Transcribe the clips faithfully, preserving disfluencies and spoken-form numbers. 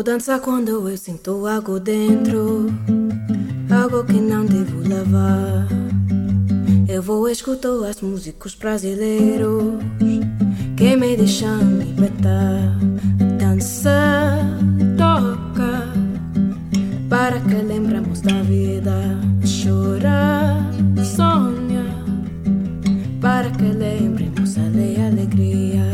vou dançar quando eu sinto algo dentro, algo que não devo levar. Eu vou escutar as músicas brasileiros que me deixam libertar. Dança, toca, para que lembremos da vida. Chora, sonha, para que lembremos a alegria.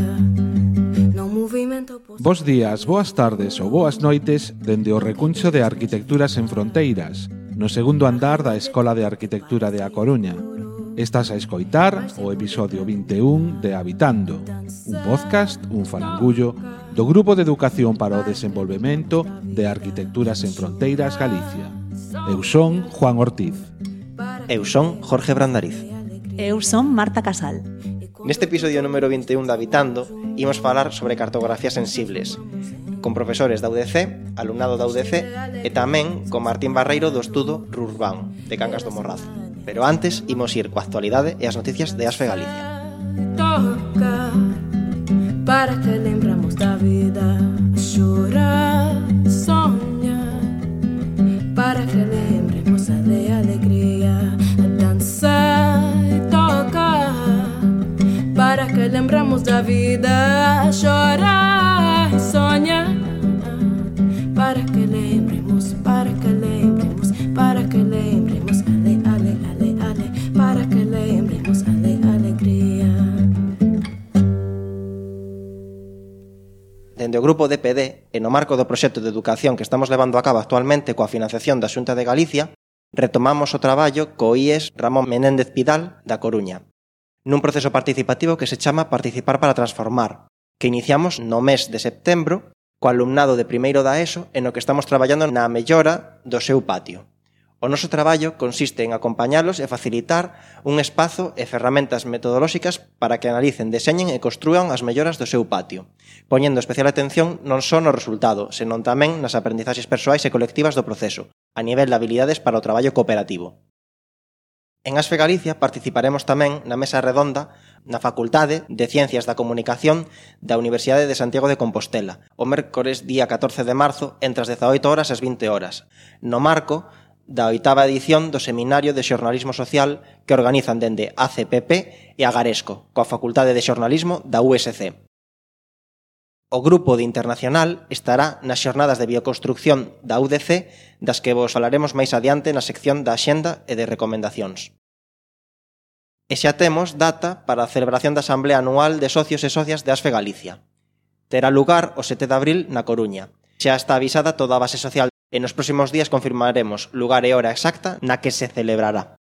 No movimento. Bos días, boas tardes ou boas noites dende o recuncho de Arquitecturas Sen Fronteiras, no segundo andar da Escola de Arquitectura de A Coruña. Estás a escoitar o episodio vinte e un de Habitando, un podcast, un falangullo, do Grupo de Educación para o Desenvolvemento de Arquitecturas Sen Fronteiras Galicia. Eu son Juan Ortiz. Eu son Jorge Brandariz. Eu son Marta Casal. Neste episodio número vinte e un de Habitando, imos falar sobre cartografías sensibles, con profesores da U D C, alumnado da U D C, e tamén con Martín Barreiro do estudo Rurban, de Cangas do Morrazo. Pero antes, imos ir coa actualidade e as noticias de Asfe Galicia. Toca, para que lembramos da vida. Chora, sonha, para que lembremos a de alegria. Dança e toca, para que lembramos da vida. Chora e sonha, para que lembremos, para que lembremos, para que lembremos ale, ale, ale, ale, para que lembremos ale, alegria. Dende o grupo D P D, e no marco do proxecto de educación que estamos levando a cabo actualmente coa financiación da Xunta de Galicia, retomamos o traballo co I E S Ramón Menéndez Pidal da Coruña, nun proceso participativo que se chama Participar para Transformar, que iniciamos no mes de setembro co alumnado de primeiro da ESO e no que estamos traballando na mellora do seu patio. O noso traballo consiste en acompañalos e facilitar un espazo e ferramentas metodolóxicas para que analicen, deseñen e construan as melloras do seu patio, poñendo especial atención non só no resultado, senón tamén nas aprendizaxes persoais e colectivas do proceso, a nivel de habilidades para o traballo cooperativo. En Asfe Galicia participaremos tamén na mesa redonda na Facultade de Ciencias da Comunicación da Universidade de Santiago de Compostela, o mércores día catorce de marzo entre as dezaoito horas e as vinte horas, no marco da oitava edición do Seminario de Xornalismo Social que organizan dende A C P P e Agaresco, coa Facultade de Xornalismo da U S C. O grupo de Internacional estará nas xornadas de bioconstrucción da U D C, das que vos falaremos máis adiante na sección da Axenda e de recomendacións. E xa temos data para a celebración da Asamblea Anual de Socios e Socias de Asfe Galicia. Terá lugar o sete de abril na Coruña. Xa está avisada toda a base social e nos próximos días confirmaremos lugar e hora exacta na que se celebrará.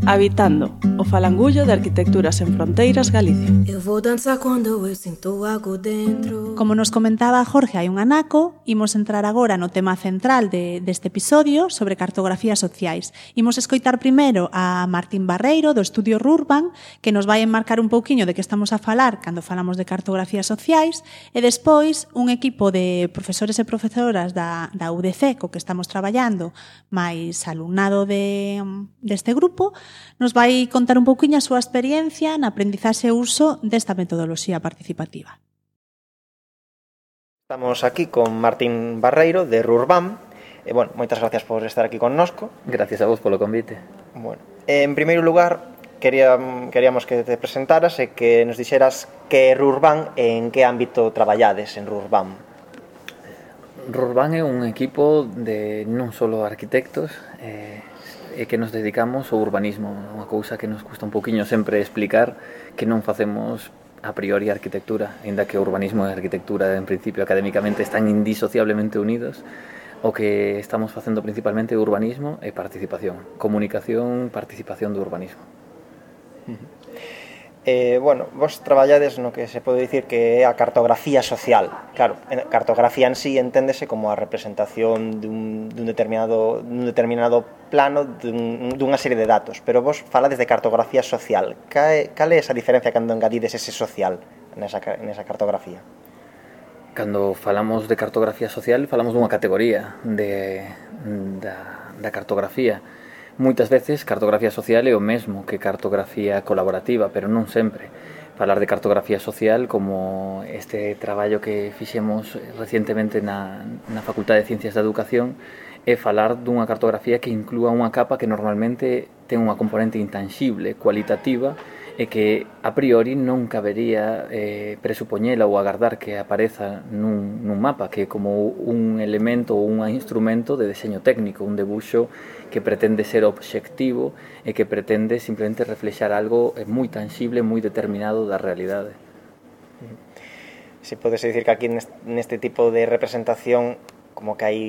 Habitando, o falangullo de Arquitecturas Sen Fronteiras Galicia. Eu vou dançar quando eu sinto algo dentro. Como nos comentaba Jorge hai un anaco, imos entrar agora no tema central de, deste episodio sobre cartografías sociais. Imos escoitar primeiro a Martín Barreiro do estudio Rurban, que nos vai enmarcar un pouquiño de que estamos a falar cando falamos de cartografías sociais, e despois un equipo de profesores e profesoras da, da U D C co que estamos traballando, máis alumnado de, deste grupo, nos vai contar un pouquiño a súa experiencia na aprendizaxe e uso desta metodoloxía participativa. Estamos aquí con Martín Barreiro de Rurban. E, bueno, moitas gracias por estar aquí connosco. Gracias a vos polo convite. Bueno, en primeiro lugar, quería, queríamos que te presentaras e que nos dixeras que é Rurban e en que ámbito traballades en Rurban. Rurban é un equipo de non só arquitectos, eh, e que nos dedicamos ao urbanismo, unha cousa que nos custa un pouquiño sempre explicar, que non facemos a priori arquitectura, aínda que o urbanismo e a arquitectura en principio académicamente están indisociablemente unidos. O que estamos facendo principalmente é urbanismo e participación, comunicación, participación do urbanismo. Eh, bueno, vos traballades no que se pode dicir que é a cartografía social. Claro, a cartografía en sí enténdese como a representación dun, dun, determinado, dun determinado plano dun, dunha serie de datos, pero vos falades de cartografía social. Cal é esa diferencia cando engadides ese social nesa, nesa cartografía? Cando falamos de cartografía social, falamos dunha categoría de, da, da cartografía. Moitas veces cartografía social é o mesmo que cartografía colaborativa, pero non sempre. falar de cartografía social como este traballo que fixemos recientemente na, na Facultade de Ciencias da Educación é falar dunha cartografía que inclúa unha capa que normalmente ten unha componente intangible, cualitativa, e que a priori non cabería eh, presupoñela ou agardar que apareza nun, nun mapa, que é como un elemento ou un instrumento de deseño técnico, un debuxo que pretende ser obxectivo e que pretende simplemente reflexar algo moi tangible, moi determinado da realidade. Si podes dicir que aquí neste tipo de representación como que hai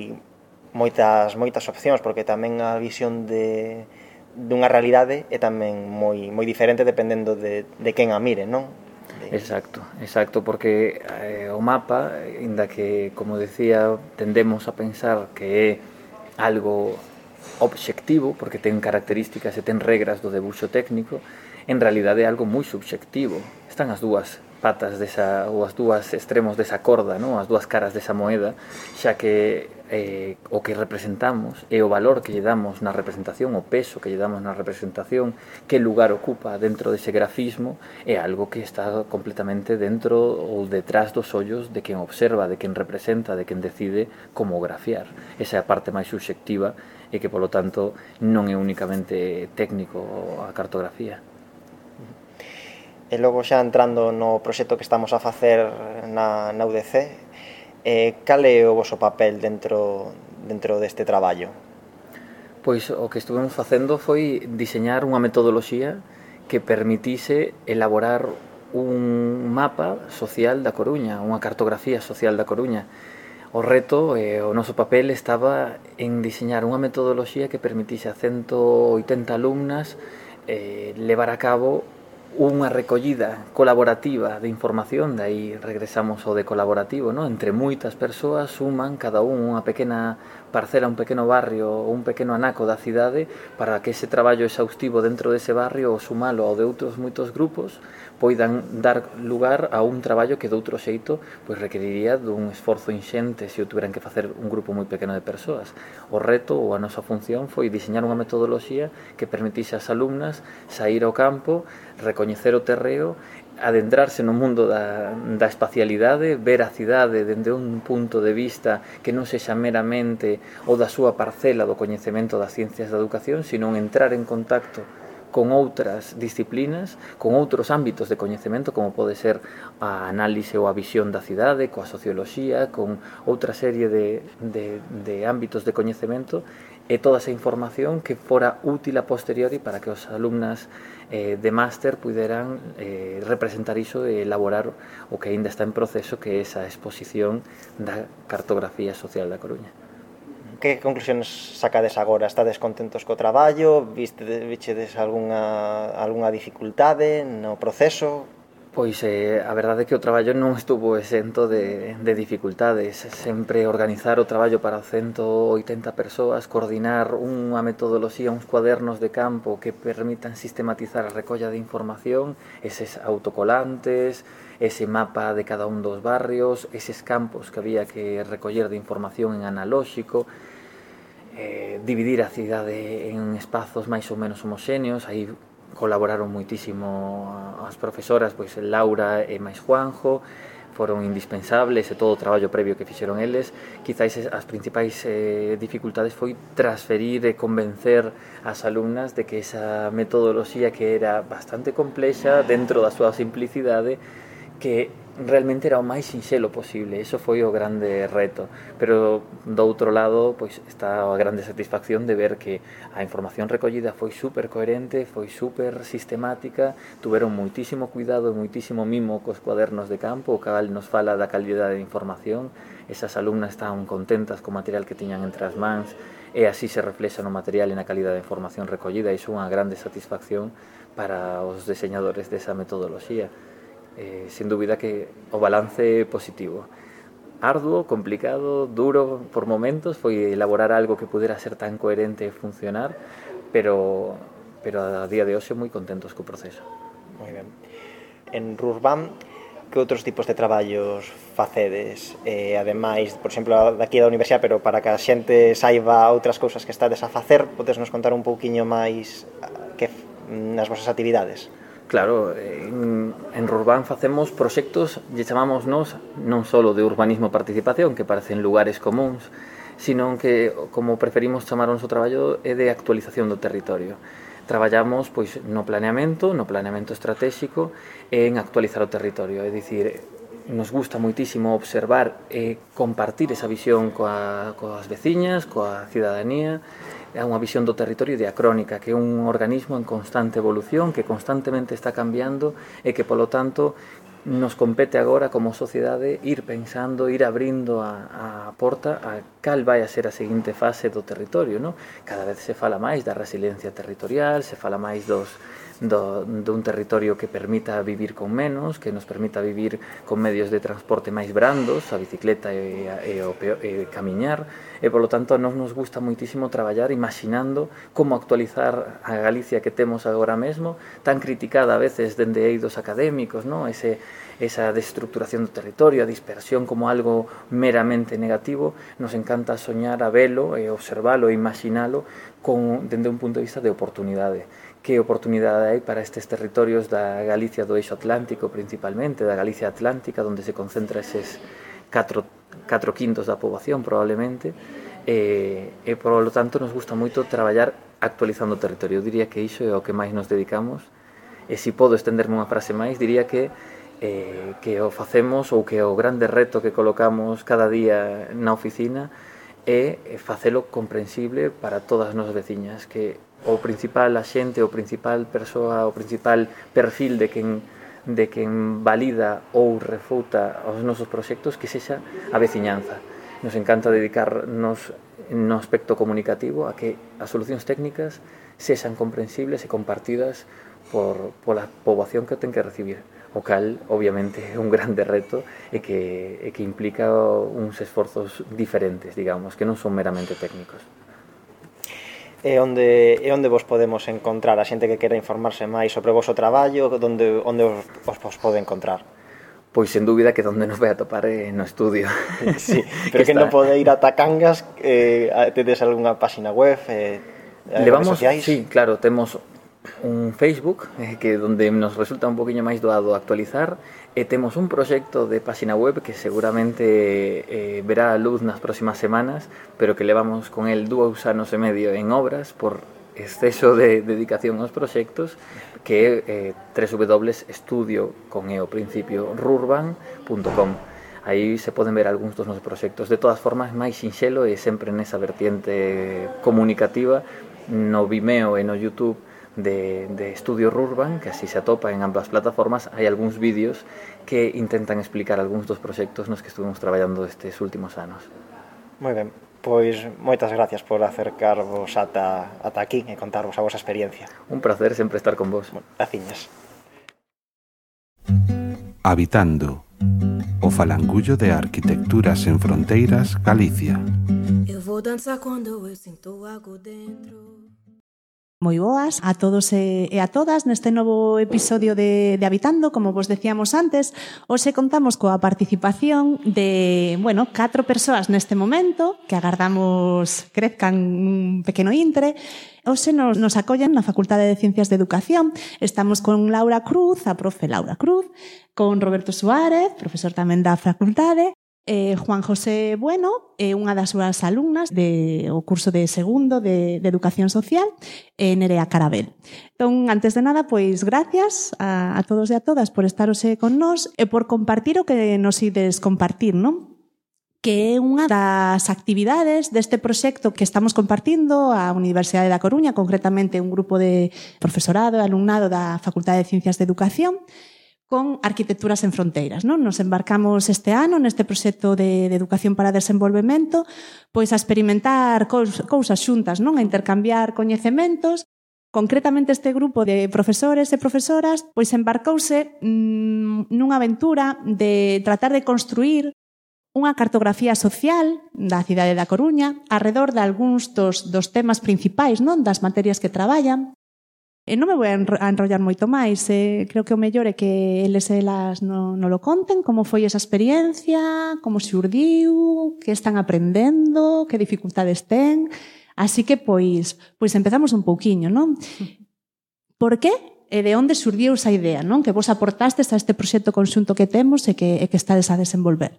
moitas moitas opcións, porque tamén a visión de dunha realidade é tamén moi moi diferente dependendo de, de quen a mire, non? De... Exacto, exacto, porque eh, o mapa, inda que, como decía, tendemos a pensar que é algo obxectivo, porque ten características e ten regras do debuxo técnico, en realidade é algo moi subxectivo. Están as dúas patas desa, ou as dúas extremos desa corda, non? As dúas caras desa moeda, xa que eh, o que representamos e o valor que lle damos na representación, o peso que lle damos na representación, que lugar ocupa dentro dese grafismo, é algo que está completamente dentro ou detrás dos ollos de quen observa, de quen representa, de quen decide como grafiar. Esa é a parte máis subxectiva e que, polo tanto, non é únicamente técnico a cartografía. E logo xa entrando no proxecto que estamos a facer na, na U D C, eh, cal é o voso papel dentro, dentro deste traballo? Pois o que estuvemos facendo foi diseñar unha metodoloxía que permitise elaborar un mapa social da Coruña, unha cartografía social da Coruña. O reto, eh, o noso papel estaba en diseñar unha metodoloxía que permitise a ciento oitenta alumnas eh, levar a cabo unha recollida colaborativa de información, de aí regresamos ao de colaborativo, ¿no? Entre moitas persoas suman cada un unha pequena parcela, un pequeno barrio, un pequeno anaco da cidade para que ese traballo exhaustivo dentro dese barrio o sumalo ao de outros moitos grupos poidan dar lugar a un traballo que de outro xeito pois requeriría dun esforzo inxente se o tuveran que facer un grupo moi pequeno de persoas. O reto ou a nosa función foi diseñar unha metodoloxía que permitise ás alumnas sair ao campo, recoñecer o terreo, adentrarse no mundo da, da espacialidade, ver a cidade dende un punto de vista que non sexa meramente o da súa parcela do coñecemento das ciencias da educación, sino entrar en contacto con outras disciplinas, con outros ámbitos de coñecemento, como pode ser a análise ou a visión da cidade, coa socioloxía, con outra serie de, de, de ámbitos de coñecemento, e toda esa información que fora útil a posteriori para que os alumnas eh, de máster puderan eh, representar iso e elaborar o que aínda está en proceso, que é esa exposición da cartografía social da Coruña. Que conclusiones sacades agora? Estades contentos co traballo? Vistedes algunha, algunha dificultade no proceso? Pois eh, a verdade é que o traballo non estuvo exento de, de dificultades. Sempre organizar o traballo para ciento oitenta persoas, coordinar unha metodoloxía, uns cuadernos de campo que permitan sistematizar a recolla de información, eses autocolantes, ese mapa de cada un dos barrios, eses campos que había que recoller de información en analóxico, eh, dividir a cidade en espazos máis ou menos homoxéneos. Aí colaboraron moitísimo as profesoras, pois Laura e máis Juanjo, foron indispensables e todo o traballo previo que fixeron eles. Quizáis as principais eh, dificultades foi transferir e convencer as alumnas de que esa metodoloxía, que era bastante complexa dentro da súa simplicidade, que realmente era o máis sinxelo posible. Eso foi o grande reto, pero do outro lado pois está a grande satisfacción de ver que a información recollida foi super coherente, foi super sistemática, tuveron moitísimo cuidado e moitísimo mimo cos cuadernos de campo, o cal nos fala da calidade de información. Esas alumnas estaban contentas co material que tiñan entre as mans, e así se reflexa no material e na calidade de información recollida. Iso é unha grande satisfacción para os deseñadores desa metodoloxía. Eh, sin dúbida que o balance é positivo. Arduo, complicado, duro por momentos, foi elaborar algo que pudera ser tan coherente e funcionar, pero, pero a día de hoxe moi contentos co proceso. Moi ben. En Rurban, que outros tipos de traballos facedes? Eh, ademais, por exemplo, daqui da Universidade, pero para que a xente saiba outras cousas que estades a facer, podes nos contar un pouquiño máis que nas vosas actividades? Claro, en, en Rurban facemos proxectos, lle chamamos nos, non só de urbanismo e participación, que parecen lugares comuns, sino que, como preferimos chamar o noso traballo, é de actualización do territorio. Traballamos pois, no planeamento, no planeamento estratégico e en actualizar o territorio, é dicir, nos gusta moitísimo observar e compartir esa visión coa, coas veciñas, coa cidadanía. É unha visión do territorio diacrónica, que é un organismo en constante evolución, que constantemente está cambiando e que, polo tanto, nos compete agora como sociedade ir pensando, ir abrindo a, a porta a cal vai a ser a seguinte fase do territorio, non? Cada vez se fala máis da resiliencia territorial, se fala máis dos Do, dun territorio que permita vivir con menos, que nos permita vivir con medios de transporte máis brandos, a bicicleta e, e, o, e camiñar, e polo tanto nos nos gusta moitísimo traballar imaginando como actualizar a Galicia que temos agora mesmo, tan criticada a veces dende eidos académicos, non? Ese, esa destructuración do territorio, a dispersión como algo meramente negativo. Nos encanta soñar a velo e observalo e imaginalo con, dende un punto de vista de oportunidade. Que oportunidade hai para estes territorios da Galicia do eixo atlántico principalmente, da Galicia atlántica, onde se concentra eses catro, catro quintos da poboación probablemente, e, e por lo tanto nos gusta moito traballar actualizando o territorio. Eu diría que iso é o que máis nos dedicamos, e se podo estenderme unha frase máis, diría que eh, que o facemos, ou que o grande reto que colocamos cada día na oficina é facelo comprensible para todas as nosas veciñas, que o principal axente, o principal persoa, o principal perfil de quen, de quen valida ou refuta os nosos proxectos, que sexa a veciñanza. Nos encanta dedicarnos no aspecto comunicativo a que as solucións técnicas sexan comprensibles e compartidas por, pola poboación que ten que recibir, o cal, obviamente, é un grande reto e que, e que implica uns esforzos diferentes, digamos, que non son meramente técnicos. E onde, e onde vos podemos encontrar a xente que quera informarse máis sobre o vosso traballo, onde, onde os, os, os pode encontrar? Pois, sen dúbida, que onde nos vai a topar é no estudio. Sí, pero que, que non pode ir ata Cangas, eh, tedes algunha página web, eh, Levamos, redes sociais? Sí, claro, temos un Facebook, eh, que donde nos resulta un poquinho máis doado actualizar, e temos un proxecto de página web que seguramente eh, verá a luz nas próximas semanas, pero que levamos con el dous anos e medio en obras por exceso de dedicación aos proxectos, que é eh, doble u doble u doble u punto estudio con e o principio rurban punto com. Aí se poden ver algúns dos nosos proxectos. De todas formas, máis sinxelo e sempre nesa vertiente comunicativa, no Vimeo e no YouTube de, de Estudio Rurban, que así se atopa en ambas plataformas. Hai algúns vídeos que intentan explicar algúns dos proxectos nos que estuvimos traballando estes últimos anos. Moi ben, pois moitas gracias por acercarvos ata, ata aquí e contarvos a vosa experiencia. Un placer sempre estar con vos. Bueno, graciñas. Habitando, o falangullo de Arquitecturas en Fronteiras, Galicia. Eu vou dançar quando eu sinto algo dentro. Moi boas a todos e a todas neste novo episodio de, de Habitando. Como vos decíamos antes, hoxe contamos coa participación de, bueno, catro persoas neste momento, que agardamos crezcan un pequeno intre. Hoxe nos, nos acollen na Facultade de Ciencias de Educación. Estamos con Laura Cruz, a profe Laura Cruz, con Roberto Suárez, profesor tamén da facultade, Eh, Juan José Bueno, é eh, unha das súas alumnas de o curso de segundo de, de Educación Social, e eh, Nerea Carabel. Entón, antes de nada, pois gracias a, a todos e a todas por estar hoxe con nós e por compartir o que nos ides compartir, non? Que é unha das actividades deste proxecto que estamos compartindo a Universidade da Coruña, concretamente un grupo de profesorado e alumnado da Facultade de Ciencias de Educación, con Arquitecturas en Fronteiras, non? Nos embarcamos este ano neste proxecto de, de Educación para Desenvolvemento, pois a experimentar cous, cousas xuntas, non? A intercambiar coñecementos. Concretamente este grupo de profesores e profesoras pois embarcouse mmm, nunha aventura de tratar de construir unha cartografía social da cidade da Coruña arredor de algúns dos, dos temas principais, non? Das materias que traballan. E non me vou a enrollar moito máis, eh, creo que o mellor é que eles e elas non no lo conten, como foi esa experiencia, como xurdiu, que están aprendendo, que dificultades ten. Así que, pois, pois empezamos un pouquiño, non? Por que e de onde surdiu esa idea, non? Que vos aportastes a este proxecto conxunto que temos e que, e que estades a desenvolver.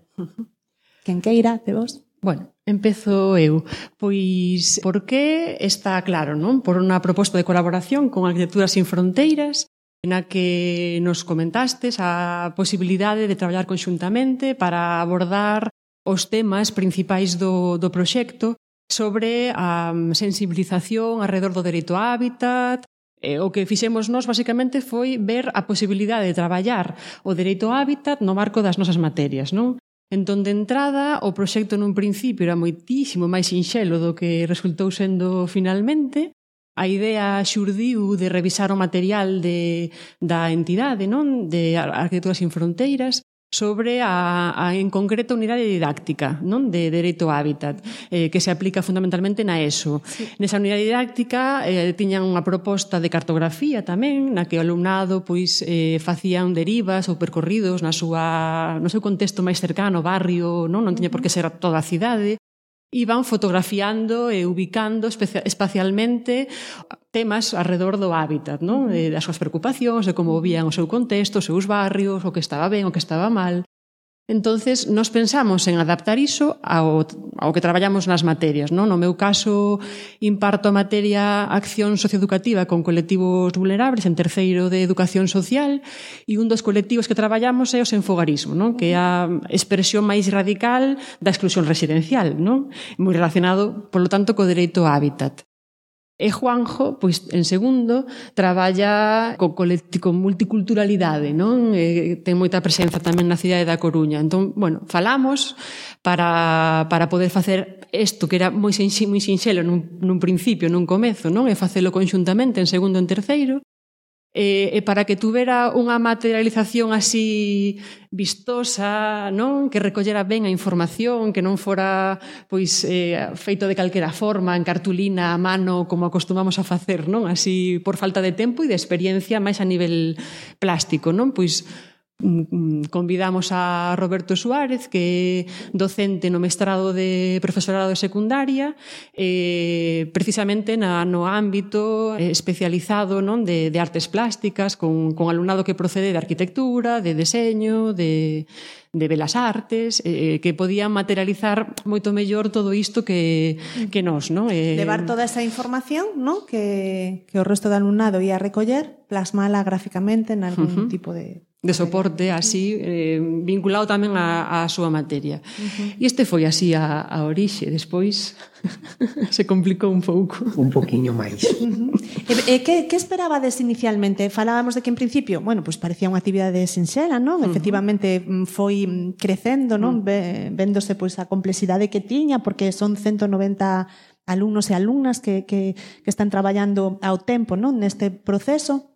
Quen queira, de vos? Bueno, empezo eu. Pois, por que está claro, non? Por unha proposta de colaboración con Arquitecturas Sin Fronteiras, na que nos comentastes a posibilidade de traballar conxuntamente para abordar os temas principais do, do proxecto sobre a sensibilización alrededor do dereito á hábitat. E o que fixemos nós, basicamente, foi ver a posibilidade de traballar o dereito ao hábitat no marco das nosas materias, non? Entón, de entrada, o proxecto nun principio era moitísimo máis sinxelo do que resultou sendo finalmente. A idea xurdiu de revisar o material de, da entidade, non? De Arquitecturas Sin Fronteiras, sobre a, a en concreto a unidade didáctica, non? De dereito ao hábitat, eh, que se aplica fundamentalmente na ESO. Sí. Nesa unidade didáctica eh, tiñan unha proposta de cartografía tamén, na que o alumnado pois eh, facían derivas ou percorridos na súa, no seu contexto máis cercano, barrio, non? Non tiña por que ser toda a cidade. Iban fotografiando e ubicando espacialmente temas alrededor do hábitat, non? Das súas preocupacións, de como vían o seu contexto, os seus barrios, o que estaba ben, o que estaba mal. Entonces, nos pensamos en adaptar iso ao, ao que traballamos nas materias, non? No meu caso, imparto a materia Acción Socioeducativa con colectivos vulnerables en terceiro de Educación Social, e un dos colectivos que traballamos é o senfogarismo, non? Que é a expresión máis radical da exclusión residencial, non? Moi relacionado, polo tanto, co dereito ao hábitat. E Juanjo, pois, en segundo, traballa co con multiculturalidade, non? E ten moita presenza tamén na cidade da Coruña. Entón, bueno, falamos para, para poder facer isto que era moi, moi sinxelo nun, nun principio, nun comezo, non? E facelo conxuntamente en segundo e en terceiro. E, e para que tuvera unha materialización así vistosa, non? Que recollera ben a información, que non fora pois eh, feito de calquera forma, en cartulina, a mano, como acostumamos a facer, non? Así por falta de tempo e de experiencia máis a nivel plástico, non? Pois convidamos a Roberto Suárez, que é docente no mestrado de profesorado de secundaria, eh, precisamente na, no ámbito especializado, non? De, de artes plásticas, con, con alumnado que procede de arquitectura, de deseño, de, de belas artes, eh, que podían materializar moito mellor todo isto que, que nós, non? Eh, Levar toda esa información, non? Que, que o resto do alumnado ia recoller, plasmala gráficamente en algún uh-huh. tipo de... de soporte así, eh, vinculado tamén á, á súa materia. Uh-huh. E este foi así a, a orixe. Despois se complicou un pouco. Un poquinho máis. Uh-huh. E, e que, que esperabades inicialmente? Falábamos de que en principio, bueno, pues parecía unha actividade sinxela, non? Uh-huh. Efectivamente foi crecendo, non? Uh-huh. Véndose pois a complexidade que tiña, porque son ciento noventa alumnos e alumnas que, que, que están traballando ao tempo, non? Neste proceso.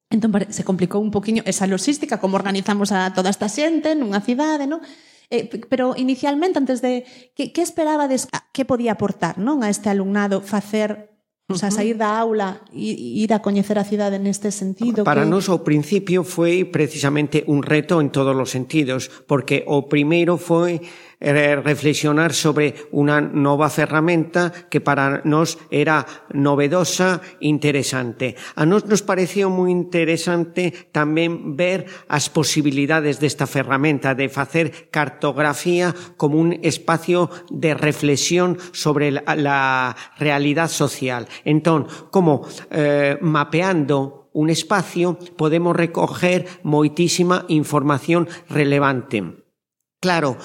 Entón se complicou un poquinho esa logística, como organizamos a toda esta xente nunha cidade, non? Eh, pero inicialmente, antes de... Que, que esperabades, que podía aportar, non? A este alumnado facer, o sea, sair da aula e ir a coñecer a cidade neste sentido? Para que... nós o principio foi precisamente un reto en todos os sentidos, porque o primeiro foi reflexionar sobre unha nova ferramenta que para nós era novedosa e interesante. A nós nos pareceu moi interesante tamén ver as posibilidades desta ferramenta de facer cartografía como un espacio de reflexión sobre la, la realidad social. Entón, como eh, mapeando un espacio podemos recoger moitísima información relevante. Claro,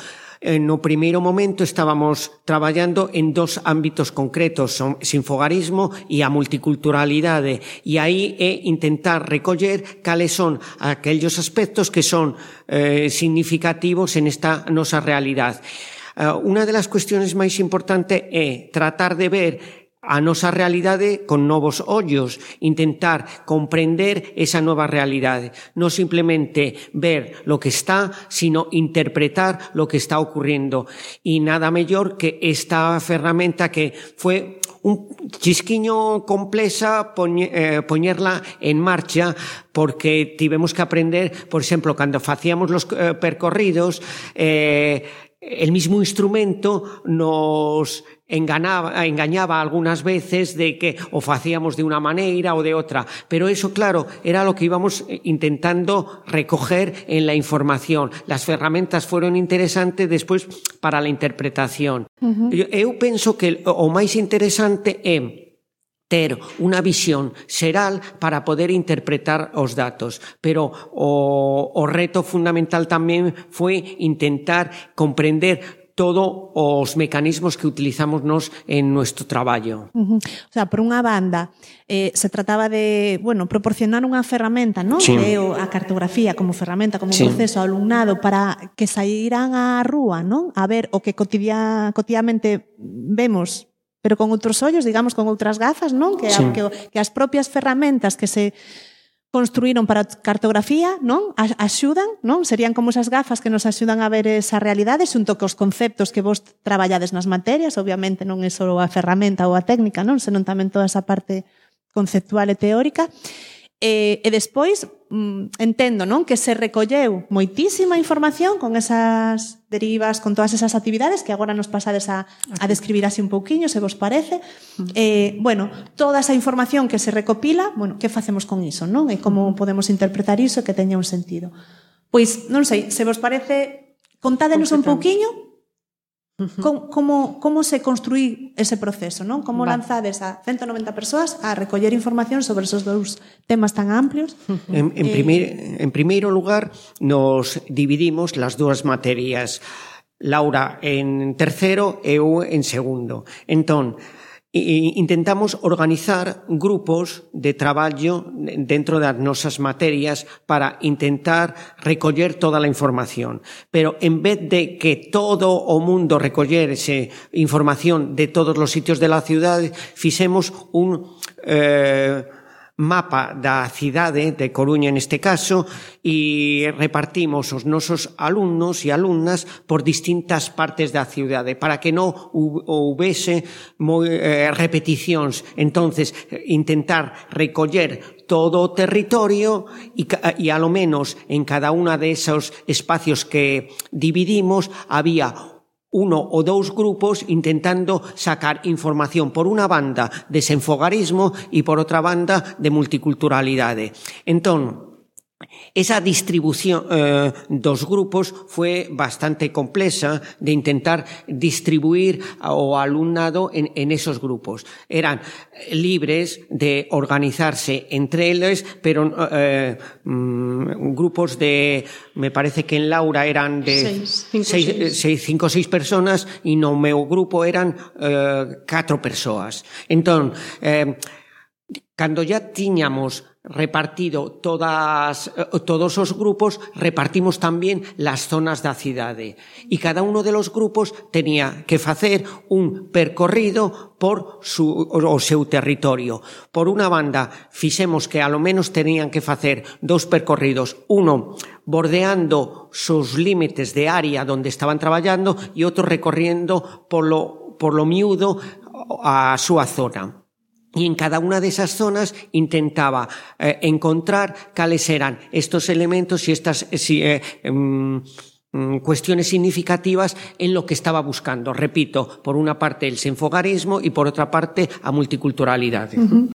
no primeiro momento estábamos traballando en dos ámbitos concretos, o sinfogarismo e a multiculturalidade, e aí é intentar recoller cales son aquellos aspectos que son eh, significativos en esta nosa realidade. Uh, unha das cuestiones máis importantes é tratar de ver a nosa realidade con novos ollos, intentar comprender esa nova realidade, non simplemente ver lo que está, sino interpretar lo que está ocurriendo. E nada mellor que esta ferramenta que foi un chisquiño complexa poñe, eh, poñerla en marcha, porque tivemos que aprender, por exemplo, cando facíamos los eh, percorridos, eh, el mismo instrumento nos enganaba, engañaba algunas veces de que o facíamos de una maneira o de otra, pero eso, claro, era lo que íbamos intentando recoger en la información. Las ferramentas fueron interesantes despois para a interpretación. Uh-huh. Eu penso que o máis interesante é ter unha visión xeral para poder interpretar os datos, pero o, o reto fundamental tamén foi intentar comprender todos os mecanismos que utilizamos nos en nuestro traballo. Uh-huh. O sea, por unha banda, eh, se trataba de, bueno, proporcionar unha ferramenta, ¿no? Sí. Que a cartografía como ferramenta, como sí. un proceso ao alumnado para que saíran á rúa, ¿no? A ver o que cotidia, cotidianamente vemos, pero con outros ollos, digamos, con outras gafas, non? Que, sí. que, que as propias ferramentas que se construíron para a cartografía, non? Axudan, non? Serían como esas gafas que nos axudan a ver esa realidade xunto cos conceptos que vos traballades nas materias, obviamente non é só a ferramenta ou a técnica, non? Senón tamén toda esa parte conceptual e teórica. E, e despois, mm, entendo, non? Que se recolleu moitísima información con esas derivas, con todas esas actividades que agora nos pasades a, a describir así un pouquiño, se vos parece. Eh, bueno, toda esa información que se recopila, bueno, que facemos con iso, non? E como podemos interpretar iso que teña un sentido. Pois, non sei, se vos parece, contádenos un pouquiño como, como, como se construí ese proceso, non? Como vale. lanzades a ciento noventa persoas a recoller información sobre esos dous temas tan amplios? En, en, eh... primeiro, en primeiro lugar, nos dividimos las dúas materias. Laura en tercero e eu en segundo. Entón, intentamos organizar grupos de traballo dentro das nosas materias para intentar recoller toda a información. Pero en vez de que todo o mundo recollese información de todos os sitios de la ciudade, fixemos un eh, mapa da cidade de Coruña neste caso e repartimos os nosos alumnos e alumnas por distintas partes da cidade para que non houvese moi, eh, repeticións. Entonces, intentar recoller todo o territorio e, e a lo menos en cada unha de esos espacios que dividimos había uno ou dous grupos intentando sacar información por unha banda de senfogarismo e por outra banda de multiculturalidade. Entón, esa distribución eh, dos grupos foi bastante complexa de intentar distribuir ao alumnado en, en esos grupos. Eran libres de organizarse entre eles, pero eh, mm, grupos de, me parece que en Laura eran de cinco ou seis personas e no meu grupo eran eh, catro persoas. Entón, eh, cando ya tiñamos repartido todas, todos os grupos, repartimos tamén las zonas da cidade. E cada uno de los grupos tenía que facer un percorrido por su, o seu territorio. Por unha banda, fixemos que a lo menos tenían que facer dous percorridos, uno bordeando sus límites de área donde estaban traballando e outro recorriendo polo, por lo miúdo a súa zona. Y en cada una de esas zonas intentaba eh, encontrar cales eran estos elementos y estas si, eh, um, um, cuestiones significativas en lo que estaba buscando. Repito, por una parte el senfogarismo y por otra parte a multiculturalidade. Uh-huh.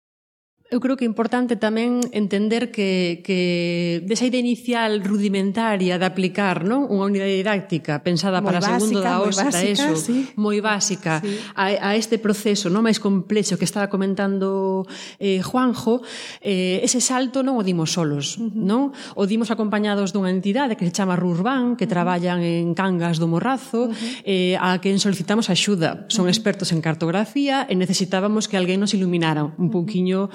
Eu creo que é importante tamén entender que, que desa idea inicial rudimentaria de aplicar, non, unha unidade didáctica pensada moi para básica, segundo da O S, da ESO, sí. moi básica, sí. a, a este proceso non máis complexo que estaba comentando eh, Juanjo, eh, ese salto non o dimos solos, uh-huh. non? O dimos acompañados dunha entidade que se chama Rurban, que uh-huh. traballan en Cangas do Morrazo, uh-huh. eh, a quen solicitamos axuda. Son uh-huh. expertos en cartografía e necesitábamos que alguén nos iluminara un pouquiño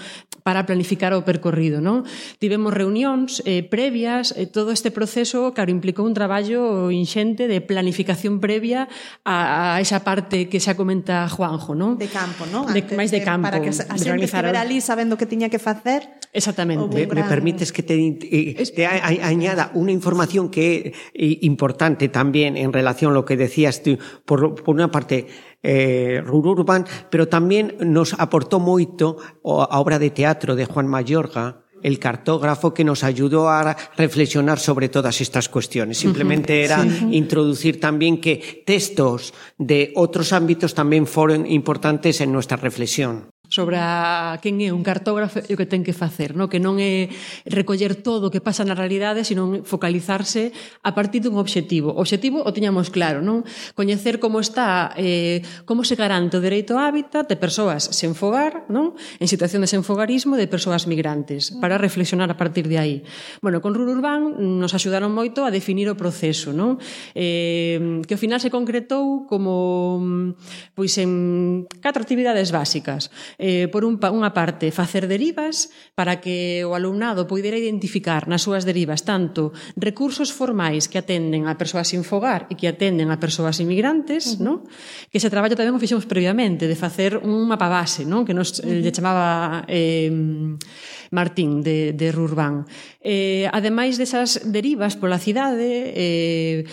para planificar o percorrido, non? Tivemos reunións eh, previas, eh, todo este proceso, claro, implicou un traballo inxente de planificación previa a, a esa parte que xa comenta Juanjo, non? De campo, non? De, máis de campo. Para que a xente estivera ali sabendo que tiña que facer. Exactamente. Me, gran... me permites que te, eh, te a, a, añada unha información que é eh, importante tamén en relación a lo que decías tú. Por, por unha parte, Eh, Rururban, pero tamén nos aportou moito a obra de teatro de Juan Mayorga, el cartógrafo que nos ayudó a reflexionar sobre todas estas cuestiones. Simplemente era sí. introducir también que textos de otros ámbitos también fueron importantes en nuestra reflexión. Sobre a quen é un cartógrafo e o que ten que facer, no? Que non é recoller todo o que pasa na realidade, sino focalizarse a partir dun obxectivo. O obxectivo o tiñamos claro, non? Coñecer como está, eh, como se garante o dereito ao hábitat de persoas sen fogar, non? En situación de senfogarismo de persoas migrantes, para reflexionar a partir de aí. Bueno, con Rururban nos axudaron moito a definir o proceso, non? Eh, que ao final se concretou como pois en catro actividades básicas. Eh, por un, unha parte, facer derivas para que o alumnado poidera identificar nas súas derivas tanto recursos formais que atenden a persoas sin fogar e que atenden a persoas inmigrantes, uh-huh. ¿no? Que ese traballo tamén o fixemos previamente, de facer un mapa base, ¿no? Que nos uh-huh. lle chamaba eh, Martín de, de Rurban. Eh, ademais desas derivas pola cidade, eh,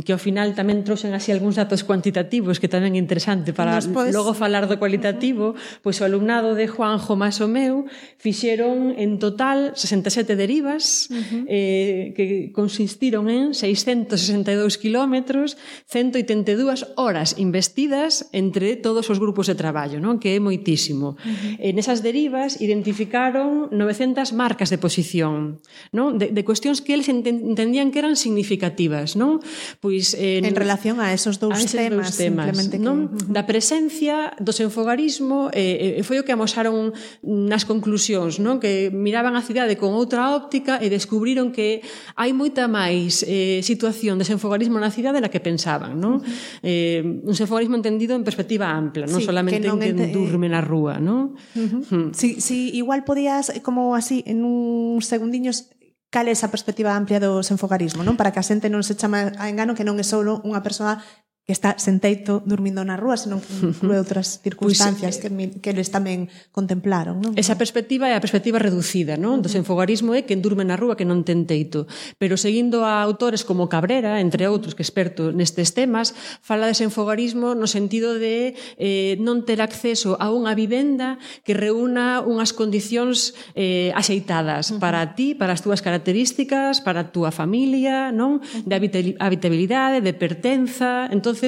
que ao final tamén trouxen así algúns datos cuantitativos que tamén é interesante para Después... logo falar do cualitativo, uh-huh. pois o alumnado de Juanjo máis o meu fixeron en total sesenta e sete derivas uh-huh. eh, que consistiron en seiscentos sesenta e dous kilómetros, ciento oitenta e dúas horas investidas entre todos os grupos de traballo, non? Que é moitísimo. Uh-huh. En esas derivas identificaron novecentas marcas de posición, non? De, de cuestións que eles entendían que eran significativas, non? Pois en, en relación a esos dous a esos temas, dous temas non? Que... Da presencia do senfogarismo eh, foi o que amosaron nas conclusións, non? Que miraban a cidade con outra óptica e descubriron que hai moita máis eh, situación de senfogarismo na cidade da que pensaban, non? Uh-huh. Eh, un senfogarismo entendido en perspectiva ampla, non sí, solamente en quen ente... durme na rúa, non? Uh-huh. Uh-huh. Si, si igual podías, como así, en uns segundiños, cal é esa perspectiva amplia do senfogarismo, non? Para que a xente non se chama a engano que non é só unha persoa que está senteito dormindo na rúa, senón que inclúe outras circunstancias pues, que, que eles tamén contemplaron, non? Esa perspectiva é a perspectiva reducida, non? Do senfogarismo é quen durme na rúa que non ten teito. Pero seguindo a autores como Cabrera, entre outros, que é experto nestes temas, fala de senfogarismo no sentido de eh, non ter acceso a unha vivenda que reúna unhas condicións eh, axeitadas uh-huh. para ti, para as túas características, para a túa familia, non? De habitabilidade, de pertenza. Entón,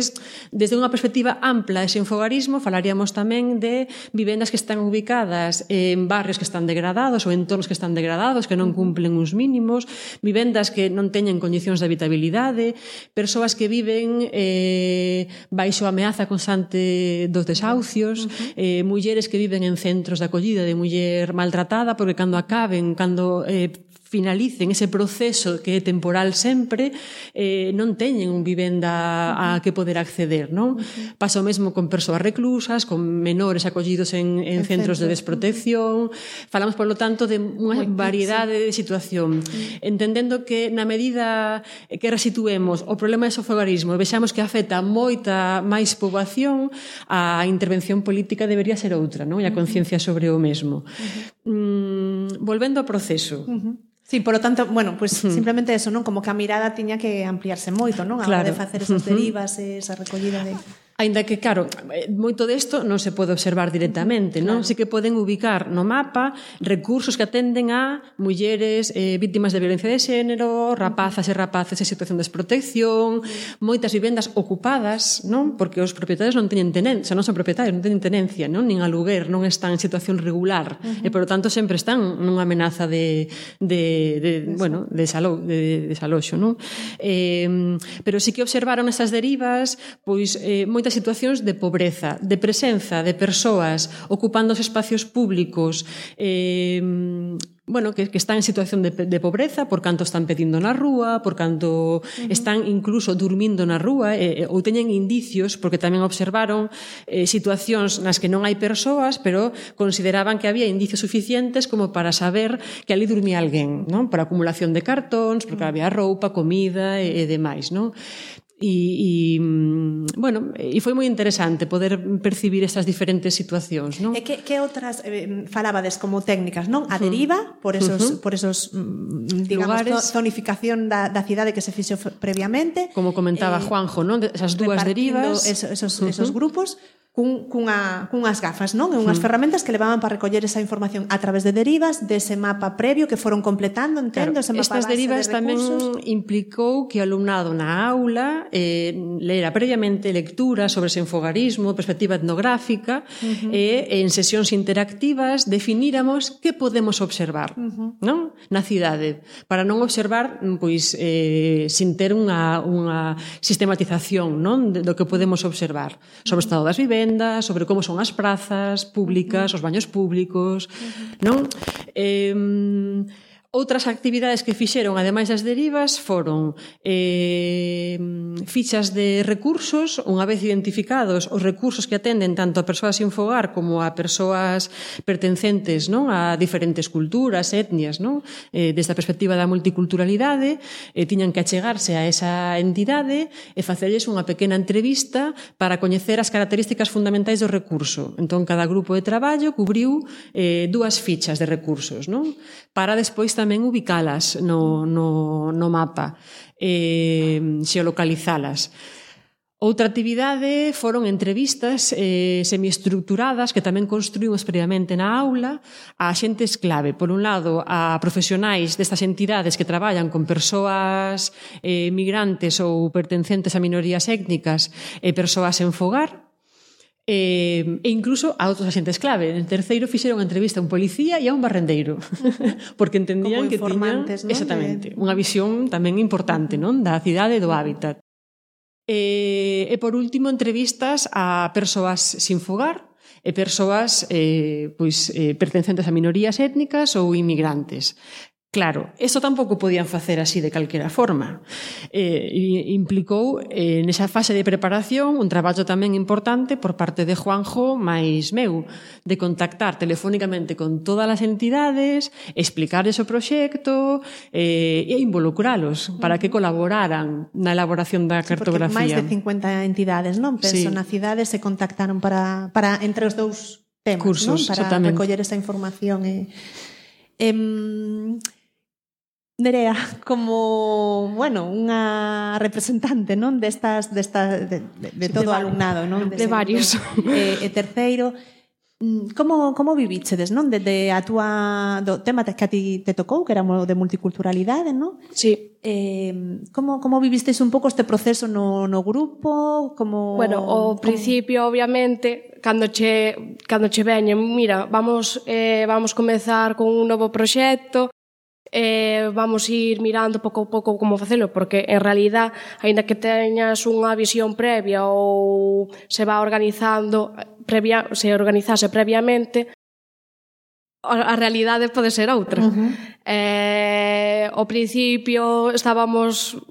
desde unha perspectiva ampla de senfogarismo falaríamos tamén de vivendas que están ubicadas en barrios que están degradados ou entornos que están degradados, que non cumplen uns mínimos, vivendas que non teñen condicións de habitabilidade, persoas que viven eh, baixo a ameaza constante dos desahucios, eh, mulleres que viven en centros de acollida de muller maltratada porque cando acaben, cando eh, finalicen ese proceso que é temporal sempre, eh, non teñen un vivenda a que poder acceder, non? Uh-huh. Pasa o mesmo con persoas reclusas, con menores acollidos en, en centros centro. de desprotección. Falamos, por lo tanto, de unha variedade de situación. Uh-huh. Entendendo que na medida que resituemos o problema de senfogarismo e vexamos que afecta moita máis poboación, a intervención política debería ser outra, non? E a conciencia sobre o mesmo. Uh-huh. Mm, volvendo ao proceso. Uh-huh. Sí, por lo tanto, bueno, pues uh-huh. simplemente eso, non? Como que a mirada tiña que ampliarse moito, non? A hora claro. de facer esas derivas, uh-huh. esa recollida de... Ainda que, claro, moito desto non se pode observar directamente, non? Claro. Sí que poden ubicar no mapa recursos que atenden a mulleres eh, vítimas de violencia de xénero, rapazas e rapaces en situación de desprotección, moitas vivendas ocupadas, non? Porque os propietarios non teñen tenencia, non son propietarios, non teñen tenencia, non? Nin aluguer, non están en situación regular, uh-huh. e, por lo tanto, sempre están nunha amenaza de, de, de, bueno, de, desalo, de, de desaloxo, non? Eh, pero sí que observaron esas derivas, pois, eh, moitas situacións de pobreza, de presenza de persoas ocupando os espacios públicos, eh, bueno, que, que están en situación de, de pobreza por canto están pedindo na rúa, por canto uh-huh. están incluso durmindo na rúa, eh, ou teñen indicios, porque tamén observaron eh, situacións nas que non hai persoas, pero consideraban que había indicios suficientes como para saber que ali dormía alguén, non? Por acumulación de cartóns, porque había roupa, comida e, e demais, non? E, e, bueno, e foi moi interesante poder percibir estas diferentes situacións, non? E que, que outras eh, falabades como técnicas, non? A deriva, por esos, uh-huh. por esos digamos, lugares, zonificación da, da cidade que se fixo previamente. Como comentaba eh, Juanjo, non? Esas dúas derivas. Esos, esos, uh-huh. esos grupos. cun, cunha, cunhas gafas, non? E unhas mm. ferramentas que levaban para recoller esa información a través de derivas dese mapa previo que foron completando, entendo, claro, ese mapa estas base derivas de recursos. Tamén implicou que o alumnado na aula eh, lera previamente lectura sobre xenfogarismo, perspectiva etnográfica, uh-huh. e en sesións interactivas definíramos que podemos observar, uh-huh. non? Na cidade, para non observar pois eh, sin ter unha, unha sistematización, non? Do que podemos observar sobre o estado das vivendas, sobre como son as prazas públicas, os baños públicos, non? Eh, outras actividades que fixeron, ademais das derivas, foron eh, fichas de recursos, unha vez identificados os recursos que atenden tanto a persoas sin fogar como a persoas pertencentes, non, a diferentes culturas, etnias, non? Eh, desde a perspectiva da multiculturalidade, eh, tiñan que achegarse a esa entidade e facerlles unha pequena entrevista para coñecer as características fundamentais do recurso. Entón, cada grupo de traballo cubriu eh, dúas fichas de recursos, non? Para despois tamén ubicalas no, no, no mapa, eh, xeolocalizalas. Outra actividade foron entrevistas eh, semiestructuradas que tamén construímos previamente na aula a xentes clave. Por un lado, a profesionais destas entidades que traballan con persoas eh, migrantes ou pertencentes a minorías étnicas e persoas en fogar, e incluso a outros axentes clave. En terceiro fixeron unha entrevista a un policía e a un barrendeiro, porque entendían que tiñan, ¿no? Exactamente, unha visión tamén importante, non, da cidade e do hábitat. E, e por último, entrevistas a persoas sin fogar e persoas eh, pois, eh, pertencentes a minorías étnicas ou inmigrantes. Claro, isto tampouco podían facer así de calquera forma. Eh, implicou eh, nesa fase de preparación un traballo tamén importante por parte de Juanjo máis meu, de contactar telefónicamente con todas as entidades, explicarles o proxecto eh, e involucralos para que colaboraran na elaboración da cartografía. Sí, porque máis de cincuenta entidades, non? Penso, sí. Na cidade se contactaron para, para entre os dous temas, cursos, non? Para exactamente. Recoller esa información e... Eh, Nerea, como, bueno, unha representante, non, destas, destas de, de, de todo o alumnado, non, de, de varios. E, e terceiro, como como vivíchedes, non, desde a túa do tema que a ti te tocou, que era de multiculturalidade, non? Sí. Eh, como como vivisteis un pouco este proceso no no grupo, como Bueno, ao como... principio, obviamente, cando che cando che veñen, mira, vamos eh vamos comezar con un novo proxecto. Eh, vamos ir mirando pouco a pouco como facelo, porque en realidad, aínda que teñas unha visión previa ou se va organizando previa, se organizase previamente, a, a realidade pode ser outra. Uh-huh. Eh, ao principio estábamos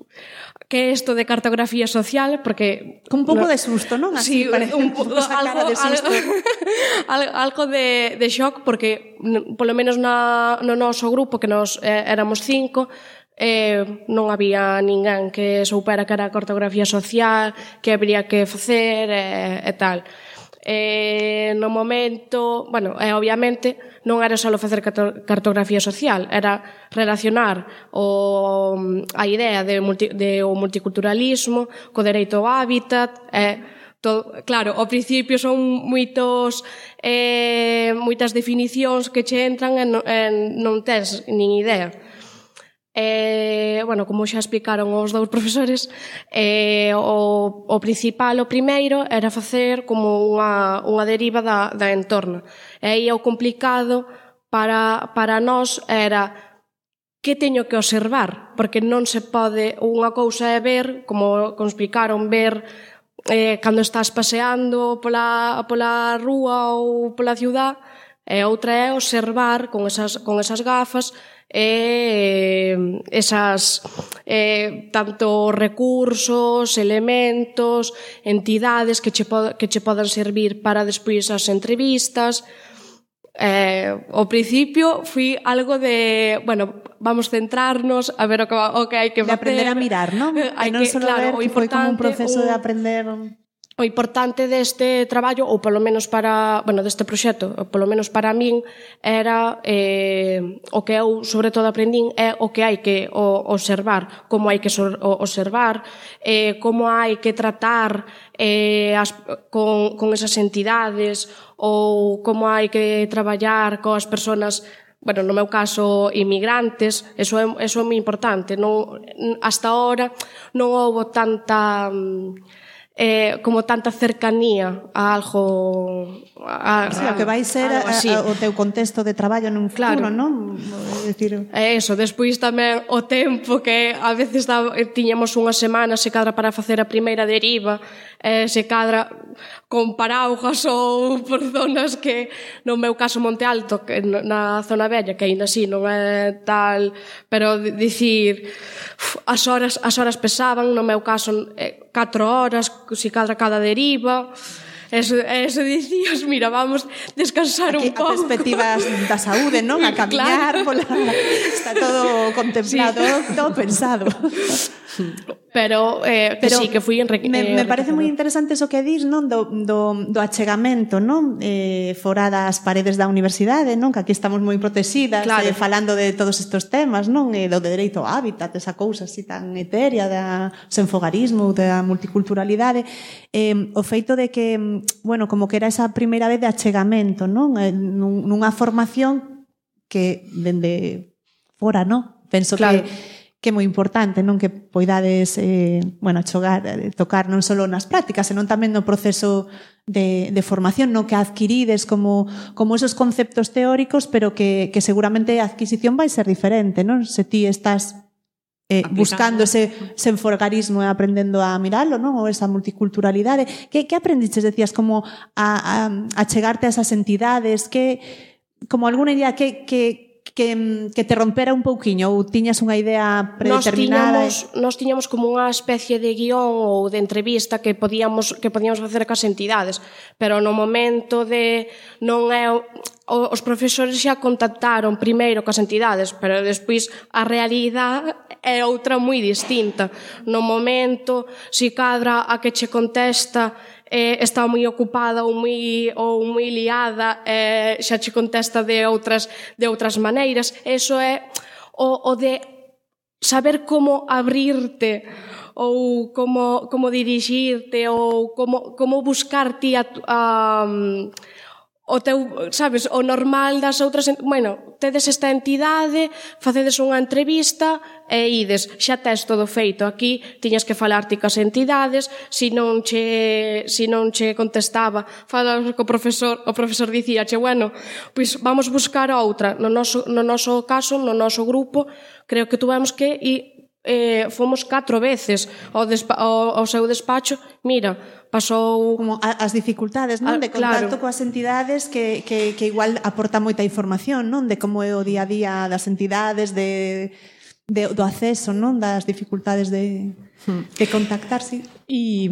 que isto de cartografía social, porque... Con un pouco no, de susto, non? Así, sí, parece un, un, algo, de susto. algo, algo de, de shock, porque polo menos na, no noso grupo, que nos eh, éramos cinco, eh, non había ninguén que soupera que era cartografía social, que habría que facer e, e tal. Eh, no momento, bueno, e obviamente non era só facer cartografía social, era relacionar o, a idea de, multi, de o multiculturalismo co dereito ao hábitat, e todo, claro, ao principio son moitos eh, moitas definicións que che entran e non, e non tens nin idea. Eh, bueno, como xa explicaron os dous profesores, eh, o, o principal, o primeiro, era facer como unha, unha deriva da, da entorna. E aí o complicado para, para nós era que teño que observar, porque non se pode, unha cousa é ver, como, como explicaron, ver eh, cando estás paseando pola, pola rúa ou pola ciudad, e outra é observar con esas, con esas gafas e esas eh, tanto recursos, elementos, entidades que che, pod- que che podan servir para despois as entrevistas. Eh, ao principio fui algo de, bueno, vamos centrarnos a ver o que, o que hai que facer. De aprender a mirar, non? Hai non que, solo claro, ver que foi como un proceso un... de aprender... o importante deste traballo, ou polo menos para, bueno, deste proxecto, ou polo menos para min, era eh, o que eu sobre todo aprendín é o que hai que o, observar, como hai que so, o, observar, eh, como hai que tratar eh, as, con, con esas entidades, ou como hai que traballar coas persoas, bueno, no meu caso, inmigrantes. Eso é, eso é moi importante. Non, hasta ahora non houbo tanta... Eh, como tanta cercanía a algo a, a, sí, o que vai ser a, a, o teu contexto de traballo nun futuro, claro. Non? É dicir... É eso, despois tamén o tempo que a veces da, tiñamos unha semana se cadra para facer a primeira deriva, eh, se cadra con paraugas ou por zonas que, no meu caso Monte Alto, que na zona vella, que ainda así non é tal, pero dicir as horas, as horas pesaban, no meu caso eh, catro horas, se cadra cada deriva. Eso, eso dicías, mira, vamos descansar aquí, un pouco. A perspectivas da saúde, non? A camiñar, claro. Pola... Está todo contemplado, sí. todo, todo pensado. Pero, eh, que Pero sí, que fui enrique... Me, me parece moi interesante eso que dis, non? Do, do, do achegamento, non? Eh, fora das paredes da universidade, non? Que aquí estamos moi protegidas, claro. eh, falando de todos estes temas, non? E do de dereito ao hábitat, esa cousa así tan etérea da senfogarismo, da multiculturalidade. Eh, o feito de que, bueno, como que era esa primeira vez de achegamento, non? Eh, nunha formación que dende fora, non? Penso claro. que que é moi importante, non, que poidades eh, bueno, chogar, tocar non só nas prácticas, senón tamén no proceso de, de formación, non, que adquirides como, como esos conceptos teóricos, pero que, que seguramente a adquisición vai ser diferente, non? Se ti estás eh, buscando ese senforgarismo e aprendendo a miralo, non? Ou esa multiculturalidade. Que, que aprendiches, decías, como a, a, a chegarte a esas entidades, que, como alguna idea que... que Que, que te rompera un pouquiño ou tiñas unha idea predeterminada? Nos tiñamos, nos tiñamos como unha especie de guión ou de entrevista que podíamos, que podíamos facer cas entidades, pero no momento de non é os profesores xa contactaron primeiro cas entidades, pero despois a realidade é outra moi distinta. No momento, si cadra a que che contesta eh, está moi ocupada ou moi, ou moi liada, eh, xa che contesta de outras, de outras maneiras. Eso é o, o de saber como abrirte ou como, como dirixirte ou como, como buscar ti a, a, o teu, sabes, o normal das outras, bueno, tedes esta entidade, facedes unha entrevista e ides, xa tes todo feito. Aquí tiñas que falar ti cas entidades, se non che, se non che contestaba, falas co profesor, o profesor dicíache, bueno, pois vamos buscar outra. No noso, no noso caso, no noso grupo, creo que tuvemos que ir, eh, fomos catro veces ao, despa, ao, ao seu despacho, mira, pasou... Como as dificultades, non? De contacto claro. Coas entidades que, que, que igual aporta moita información, non? De como é o día a día das entidades, de, de, do acceso, non? Das dificultades de, de contactar, sí. E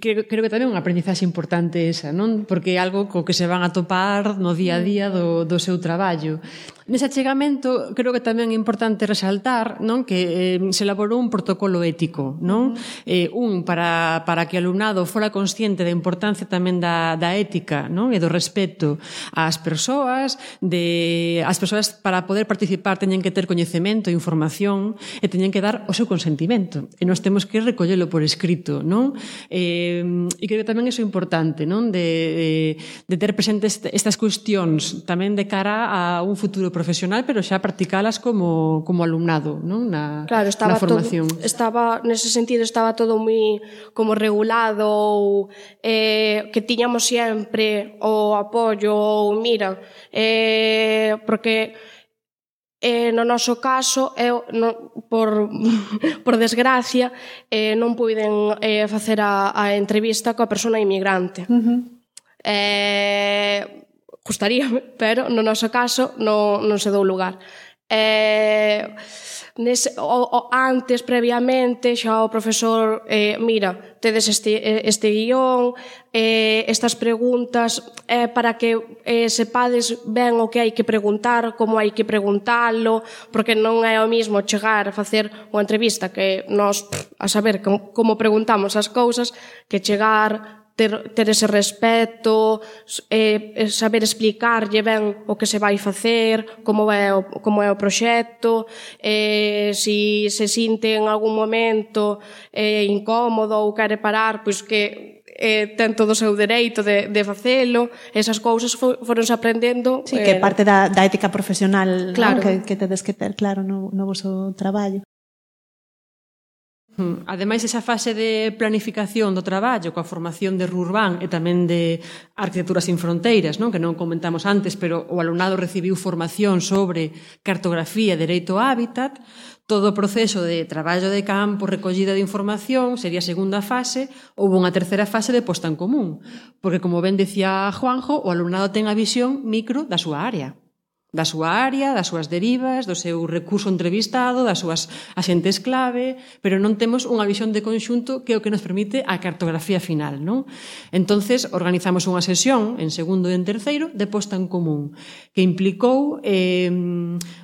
creo, creo que tamén é unha aprendizaxe importante esa, non? Porque é algo co que se van a topar no día a día do, do seu traballo. Nese achegamento, creo que tamén é importante resaltar, non, que eh, se elaborou un protocolo ético, non? Eh, un para, para que o alumnado fora consciente da importancia tamén da, da ética, non? E do respeto ás persoas, de as persoas para poder participar teñen que ter coñecemento, información e teñen que dar o seu consentimento. E nós temos que recollelo por escrito, non? Eh, e creo que tamén iso é importante, non? De, de, de ter presentes estas cuestións tamén de cara a un futuro profesional, pero xa practicalas como, como alumnado, non? Na, claro, estaba na formación. Todo, estaba, nese sentido, estaba todo moi como regulado, ou eh, que tiñamos sempre o apoio, ou mira, eh, porque eh, no noso caso, eu, no, por, por desgracia, eh, non puiden eh, facer a, a entrevista coa persona inmigrante. Uh-huh. Eh... Gustaríame, pero no noso caso non, non se dou lugar. Eh, nese, o, o, antes, previamente, xa o profesor, eh, mira, tedes este, este guión, eh, estas preguntas, eh, para que eh, sepades ben o que hai que preguntar, como hai que preguntalo, porque non é o mismo chegar a facer unha entrevista que nós, a saber como, como preguntamos as cousas, que chegar ter, ter ese respeto, eh, saber explicarlle ben o que se vai facer, como é o, como é o proxecto, eh, si se sinte en algún momento eh, incómodo ou quere parar, pois que eh, ten todo o seu dereito de, de facelo. Esas cousas fo, foronse aprendendo. Sí, que é parte da, da ética profesional, claro, ¿no? que, que tedes que ter claro no, no voso traballo. Ademais, esa fase de planificación do traballo coa formación de Rurbán e tamén de Arquitectura Sin Fronteiras, non? Que non comentamos antes, pero o alumnado recibiu formación sobre cartografía e dereito ao hábitat. Todo o proceso de traballo de campo, recollida de información, sería a segunda fase. Houve unha terceira fase de posta en común, porque, como ben decía Juanjo, o alumnado ten a visión micro da súa área. Da súa área, das súas derivas, do seu recurso entrevistado, das súas axentes clave, pero non temos unha visión de conxunto que é o que nos permite a cartografía final, non? Entonces, organizamos unha sesión en segundo e en terceiro de posta en común, que implicou eh,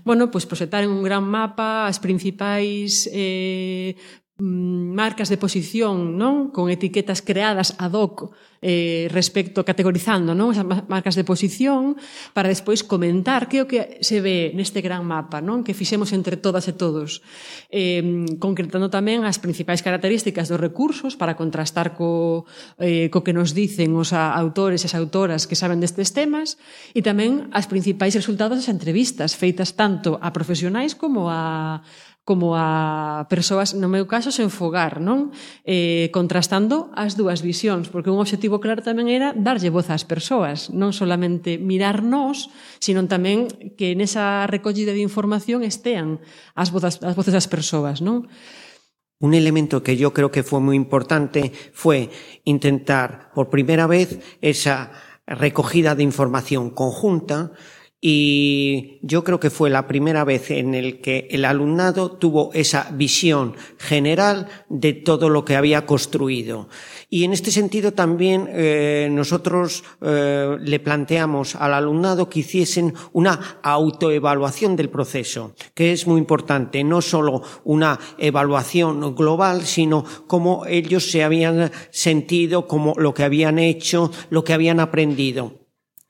bueno, pues, proxectar en un gran mapa as principais eh, marcas de posición, non? Con etiquetas creadas ad hoc eh, respecto, categorizando, non? Esas marcas de posición, para despois comentar que é o que se ve neste gran mapa, non? Que fixemos entre todas e todos, eh, concretando tamén as principais características dos recursos para contrastar co, eh, co que nos dicen os autores e as autoras que saben destes temas, e tamén as principais resultados das entrevistas feitas tanto a profesionais como a como a persoas, no meu caso, sen fogar, non? Eh, contrastando as dúas visións, porque un obxectivo claro tamén era darlle voz ás persoas, non solamente mirarnos, sino tamén que nesa recollida de información estean as voces, as voces das persoas, non? Un elemento que yo creo que fue muy importante fue intentar por primera vez esa recogida de información conjunta. Y yo creo que fue la primera vez en el que el alumnado tuvo esa visión general de todo lo que había construido. Y en este sentido también eh, nosotros eh, le planteamos al alumnado que hiciesen una autoevaluación del proceso, que es muy importante, no solo una evaluación global, sino cómo ellos se habían sentido, cómo lo que habían hecho, lo que habían aprendido.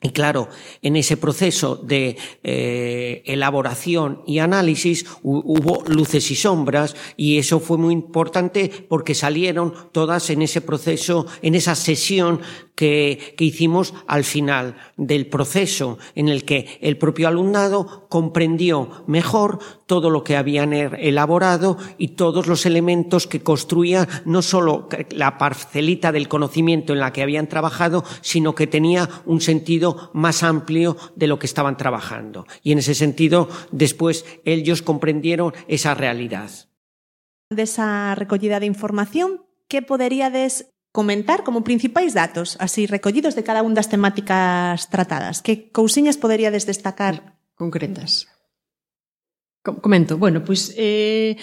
Y claro, en ese proceso de eh, elaboración y análisis hubo luces y sombras, y eso fue muy importante porque salieron todas en ese proceso, en esa sesión que, que hicimos al final del proceso, en el que el propio alumnado comprendió mejor todo lo que habían elaborado y todos los elementos que construían no solo la parcelita del conocimiento en la que habían trabajado, sino que tenía un sentido más amplio de lo que estaban trabajando. Y en ese sentido, después ellos comprendieron esa realidad. Desa recollida de información, que poderíades comentar como principais datos, así recollidos de cada unha das temáticas tratadas? Que cousiñas poderíades destacar? Concretas. Comento, bueno, pois eh,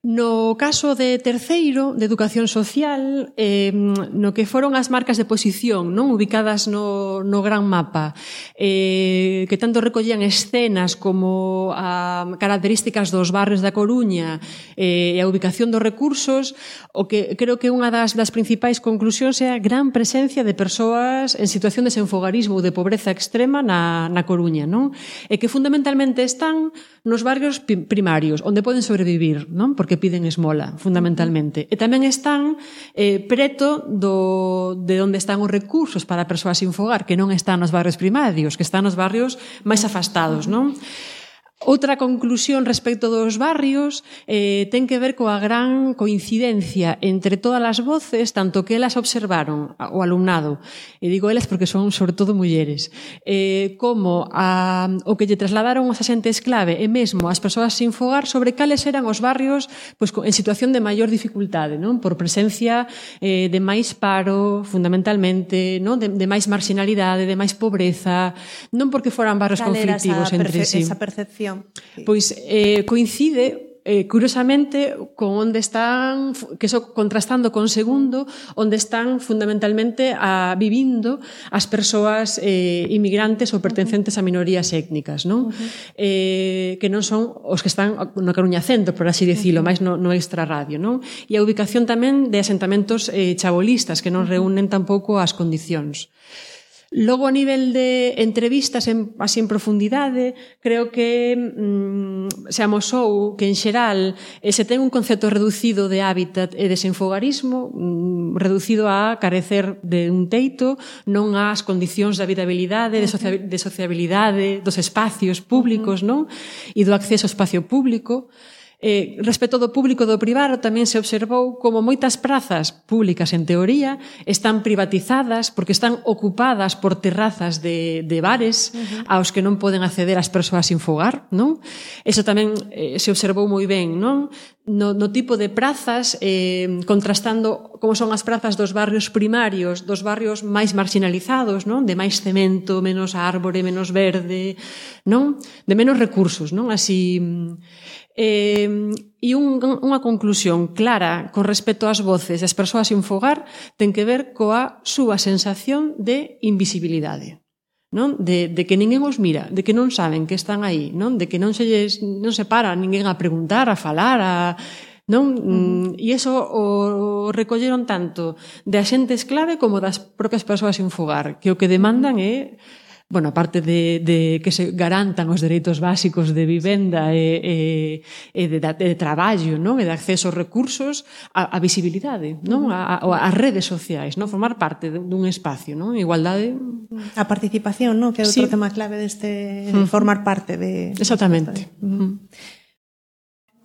no caso de terceiro, de educación social, eh, no que foron as marcas de posición, non ubicadas no, no gran mapa, eh, que tanto recollían escenas como a características dos barrios da Coruña eh, e a ubicación dos recursos, o que creo que unha das, das principais conclusións é a gran presencia de persoas en situación de senfogarismo ou de pobreza extrema na, na Coruña, non? E que fundamentalmente están nos barrios primarios, onde poden sobrevivir, non? Porque piden esmola, fundamentalmente. E tamén están eh, preto do, de onde están os recursos para persoas sin fogar, que non están nos barrios primarios, que están nos barrios máis afastados, non? Outra conclusión respecto dos barrios eh, ten que ver coa gran coincidencia entre todas as voces, tanto que elas observaron o alumnado, e digo elas porque son sobre todo mulleres, eh, como a, o que lle trasladaron os axentes clave e mesmo as persoas sin fogar sobre cales eran os barrios pois, en situación de maior dificultade, non? Por presencia eh, de máis paro, fundamentalmente, non? De, de máis marginalidade, de máis pobreza, non porque foran barrios conflictivos entre sí. Esa percepción. Pois eh, coincide eh, curiosamente, con onde están, que so, contrastando con segundo, onde están fundamentalmente a, vivindo as persoas eh, inmigrantes ou pertencentes a minorías étnicas, non? Uh-huh. Eh, que non son os que están no Coruña Centro, por así dicilo, uh-huh. máis no, no extrarradio, non? E a ubicación tamén de asentamentos eh, chabolistas que non reúnen tampouco as condicións. Logo, a nivel de entrevistas en, así en profundidade, creo que mm, se amosou que, en xeral, eh, se ten un concepto reducido de hábitat e desenfogarismo, mm, reducido a carecer de un teito, non ás condicións de habitabilidade, de, socia de sociabilidade, dos espacios públicos, non? E do acceso ao espacio público. Eh, respecto do público do privado, tamén se observou como moitas prazas públicas, en teoría, están privatizadas porque están ocupadas por terrazas de, de bares uh-huh. aos que non poden acceder as persoas sin fogar, non? Eso tamén eh, se observou moi ben, non? No, no tipo de prazas, eh, contrastando como son as prazas dos barrios primarios, dos barrios máis marginalizados, non? De máis cemento, menos árbore, menos verde, non? De menos recursos, non? Así... Eh, e un, unha conclusión clara con respecto ás voces das persoas sin fogar ten que ver coa súa sensación de invisibilidade, non? De, de que ninguén os mira, de que non saben que están aí, non? De que non se, non se para ninguén a preguntar, a falar, a... non? Uh-huh. E iso o recolleron tanto de axentes clave como das propias persoas sin fogar, que o que demandan é, bueno, aparte de, de que se garantan os dereitos básicos de vivenda e, e, e de, de, de traballo, non? E de acceso aos recursos, a, a visibilidade, non? A, a, as redes sociais, non? Formar parte dun espacio, non? Igualdade. A participación, non? Que é outro sí. tema clave deste uh-huh. formar parte de... Exactamente. Uh-huh.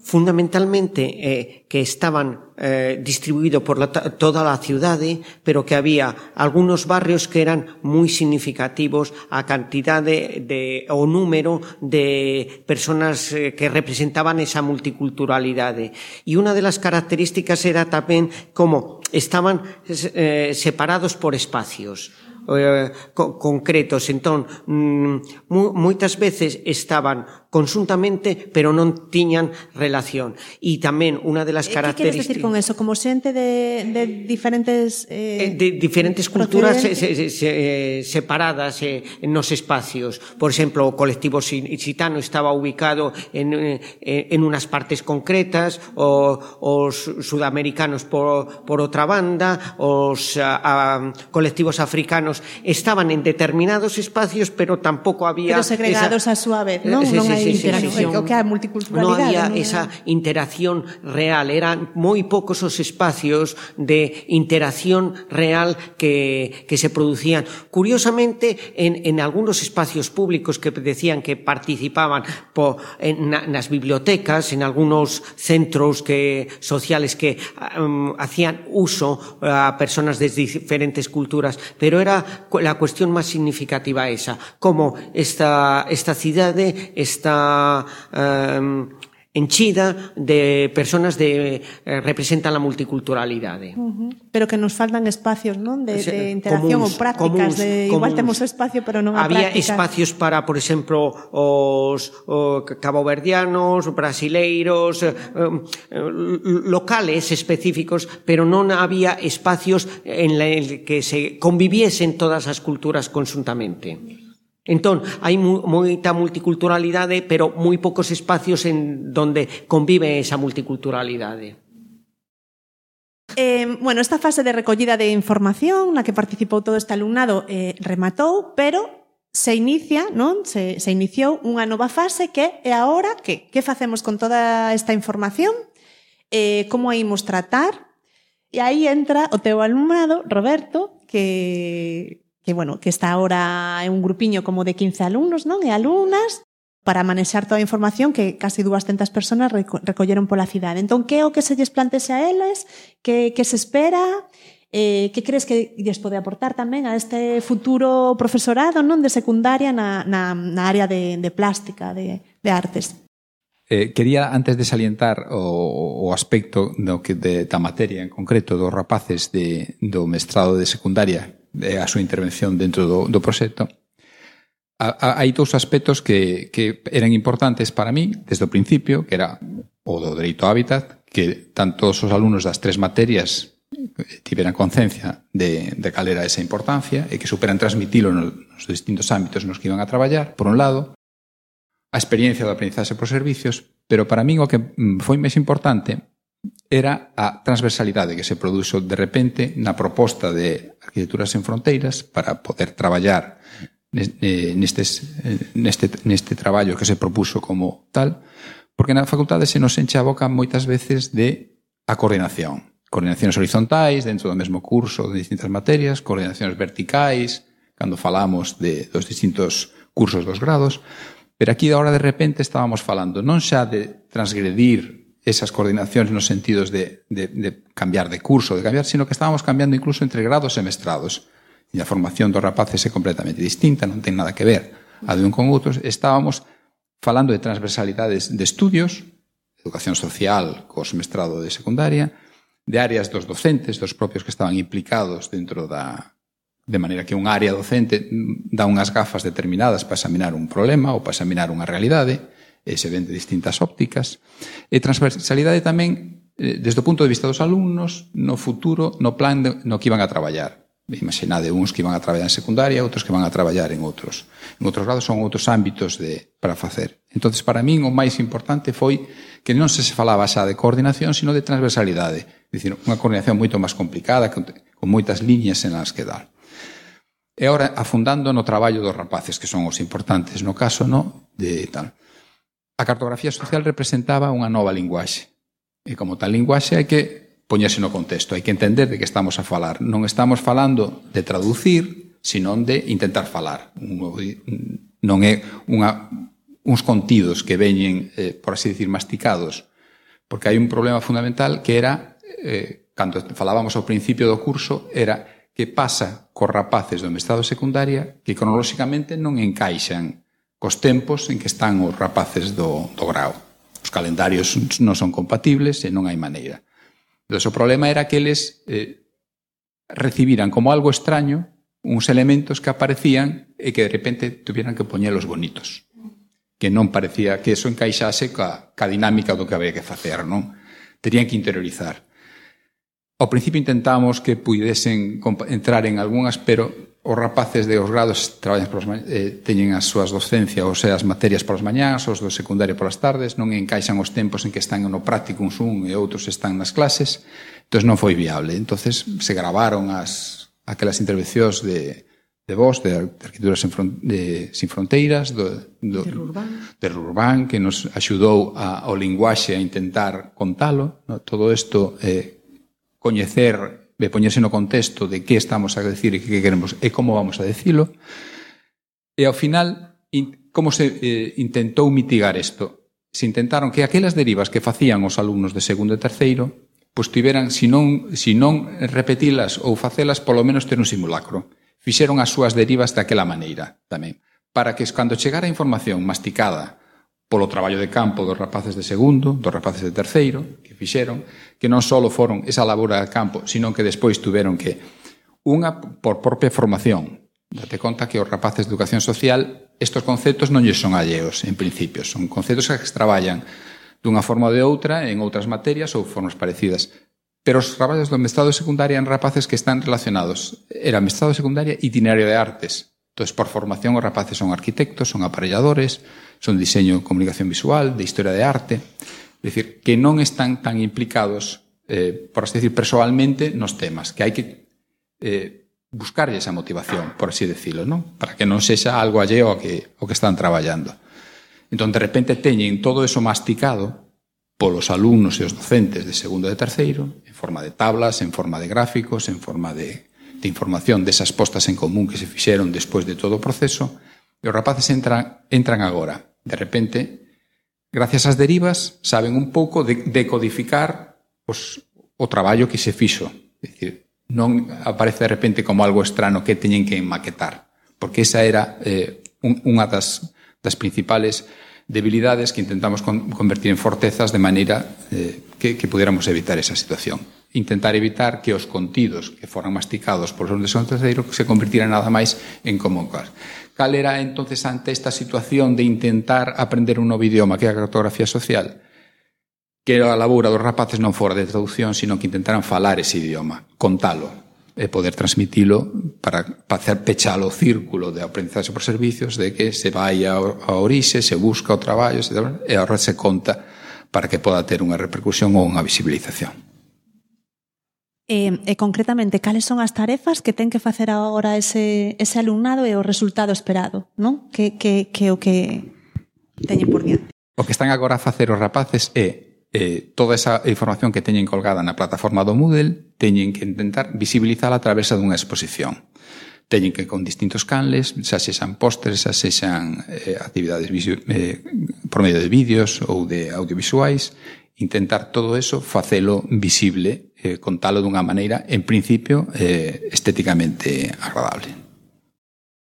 Fundamentalmente eh, que estaban eh, distribuídos por la, toda a ciudade, pero que había algunos barrios que eran moi significativos a cantidade de, o número de personas eh, que representaban esa multiculturalidade. E unha de las características era tamén como estaban eh, separados por espacios eh, co concretos. Entón, mm, moitas veces estaban consuntamente, pero non tiñan relación. E tamén unha de las características... Que queres decir con eso? Como xente de, de diferentes... Eh, de diferentes culturas se, se, se, separadas eh, nos espacios. Por exemplo, o colectivo xitano estaba ubicado en, en unas partes concretas, o, os sudamericanos por, por outra banda, os a, a, colectivos africanos estaban en determinados espacios, pero tampouco había... Pero segregados esa, a súa vez, non? Sí, non sí, hai sí, interacción. Sí, sí. O que hai multiculturalidade. Non había non esa interacción real. Eran moi poucos os espacios de interacción real que, que se producían. Curiosamente, en, en algunos espacios públicos que decían que participaban po, en, na, nas bibliotecas, en algunos centros que, sociales que um, hacían uso a personas de diferentes culturas, pero era la cuestión máis significativa esa, como esta, esta cidade está um, enchida de personas de eh, representan a multiculturalidade. Uh-huh. Pero que nos faltan espacios, non? De, de interacción comuns, ou prácticas. Comuns, de, igual comuns. Temos espacio, pero non a Había prácticas. Espacios para, por exemplo, os, os caboverdianos, brasileiros, eh, locales específicos, pero non había espacios en el que se conviviesen todas as culturas conjuntamente. Entón, hai moita multiculturalidade, pero moi poucos espacios en donde convive esa multiculturalidade. Eh, bueno, esta fase de recollida de información na que participou todo este alumnado eh, rematou, pero se inicia, non? Se, se iniciou unha nova fase que é agora que? Que facemos con toda esta información? Eh, como a imos tratar? E aí entra o teu alumnado, Roberto, que... que, bueno, que está ahora en un grupiño como de quince alumnos, non? E alumnas, para manexar toda a información que casi dúascentas persoas reco recolleron pola cidade. Entón, que é o que se lles plantese a eles? Que, que se espera? Eh, que crees que lles pode aportar tamén a este futuro profesorado, non? De secundaria na, na, na área de, de plástica, de, de artes. Eh, quería, antes de salientar o, o aspecto no que de, da materia en concreto dos rapaces de, do mestrado de secundaria, a súa intervención dentro do, do proxecto, hai dous aspectos que, que eran importantes para mí desde o principio, que era o do dereito ao hábitat, que tanto os alumnos das tres materias tiveran concencia de, de cal era esa importancia e que superan transmitilo nos distintos ámbitos nos que iban a traballar, por un lado, a experiencia do aprendizaxe por servicios, pero para min o que foi máis importante era a transversalidade que se produxo de repente na proposta de Arquitecturas en Fronteiras para poder traballar nestes, neste, neste traballo que se propuxo como tal, porque na facultade se nos enche a boca moitas veces de a coordinación. Coordinacións horizontais dentro do mesmo curso de distintas materias, coordinacións verticais, cando falamos de, dos distintos cursos dos grados, pero aquí agora de repente estábamos falando non xa de transgredir esas coordinacións nos sentidos de, de, de cambiar de curso, de cambiar, sino que estábamos cambiando incluso entre grados e mestrados. E a formación dos rapaces é completamente distinta, non ten nada que ver a de un con outros. Estábamos falando de transversalidades de estudios, educación social, cos mestrado de secundaria, de áreas dos docentes, dos propios que estaban implicados dentro da... de maneira que un área docente dá unhas gafas determinadas para examinar un problema ou para examinar unha realidade, e se ven de distintas ópticas. E transversalidade tamén desde o punto de vista dos alumnos no futuro, no plan de, no que iban a traballar. Imaginade uns que iban a traballar en secundaria, outros que van a traballar en outros. En outros grados son outros ámbitos de, para facer. Entonces, para min, o máis importante foi que non se falaba xa de coordinación, sino de transversalidade. É dicir, unha coordinación moito máis complicada, con, con moitas liñas en las que dar. E agora, afundando no traballo dos rapaces, que son os importantes no caso, no, de tal. A cartografía social representaba unha nova linguaxe. E como tal linguaxe hai que poñerse no contexto, hai que entender de que estamos a falar. Non estamos falando de traducir, sino de intentar falar. Non é unha, uns contidos que veñen, eh, por así decir, masticados, porque hai un problema fundamental que era, eh, cando falábamos ao principio do curso, era que pasa cos rapaces do mestrado secundaria que cronolóxicamente non encaixan cos tempos en que están os rapaces do, do grau. Os calendarios non son compatibles e non hai maneira. Entón, o problema era que eles eh, recibiran como algo extraño uns elementos que aparecían e que de repente tuvieran que poñelos bonitos. Que non parecía que eso encaixase ca, ca dinámica do que había que facer, non? Terían que interiorizar. Ao principio intentamos que pudesen entrar en algunhas, pero os rapaces de os grados traballan polas mañás, eh, teñen as súas docencias, ou sea, as materias polas mañás, os do secundario polas tardes, non encaixan os tempos en que están no práctico uns un e outros están nas clases, entón non foi viable. Entonces se gravaron as, aquelas intervencións de, de vos, de Arquitecturas sin, Fron, de, sin Fronteiras, do, do, de Rurbán, de Rurbán, que nos axudou a, ao linguaxe a intentar contalo, no? Todo isto, eh, coñecer, de poñerse no contexto de que estamos a decir e que queremos e como vamos a decilo. E ao final, in, como se eh, intentou mitigar isto? Se intentaron que aquelas derivas que facían os alumnos de segundo e terceiro, pois tiveran, si non, si non repetilas ou facelas, polo menos ter un simulacro. Fixeron as súas derivas daquela maneira tamén, para que cando chegara a información masticada polo traballo de campo dos rapaces de segundo, dos rapaces de terceiro, que fixeron, que non só foron esa labora de campo, sino que despois tuveron que, unha por propia formación, date conta que os rapaces de educación social, estos conceptos non lles son alleos, en principio, son conceptos que se traballan dunha forma ou de outra, en outras materias ou formas parecidas. Pero os traballos do mestrado de secundaria en rapaces que están relacionados, era mestrado de secundaria itinerario de artes. Entón, por formación, os rapaces son arquitectos, son aparelladores, son diseño e comunicación visual, de historia de arte, é dicir, que non están tan implicados, eh, por así decir, persoalmente nos temas, que hai que eh, buscarlle esa motivación, por así decirlo, non? Para que non sexa algo alleo ao que, ao que están traballando. Entón, de repente, teñen todo eso masticado polos alumnos e os docentes de segundo e de terceiro, en forma de tablas, en forma de gráficos, en forma de, de información desas postas en común que se fixeron despois de todo o proceso, e os rapaces entran, entran agora. De repente, gracias ás derivas, saben un pouco de decodificar os, o traballo que se fixo. É dicir, non aparece de repente como algo estrano que teñen que maquetar, porque esa era eh, un, unha das, das principales debilidades que intentamos con, convertir en fortezas de maneira eh, que, que pudiéramos evitar esa situación. Intentar evitar que os contidos que foran masticados por os de segundo terceiro se convirtieran nada máis en común. Cal era entonces ante esta situación de intentar aprender un novo idioma que é a cartografía social? que a laboura dos rapaces non fora de traducción, sino que intentaran falar ese idioma, contalo, e poder transmitilo para facer pechalo o círculo de aprendizaxe por servicios, de que se vai a orixe, se busca o traballo, se, e ahora se conta para que poda ter unha repercusión ou unha visibilización. E, e concretamente, cales son as tarefas que ten que facer agora ese, ese alumnado e o resultado esperado, non? Que, que, que o que teñen por diante. O que están agora a facer os rapaces é Eh, toda esa información que teñen colgada na plataforma do Moodle teñen que intentar visibilizala a través dunha exposición. Teñen que con distintos canles, xa sexan pósteres, xa sexan eh, actividades eh, por medio de vídeos ou de audiovisuais, intentar todo eso facelo visible, eh, contalo dunha maneira, en principio, eh, estéticamente agradable.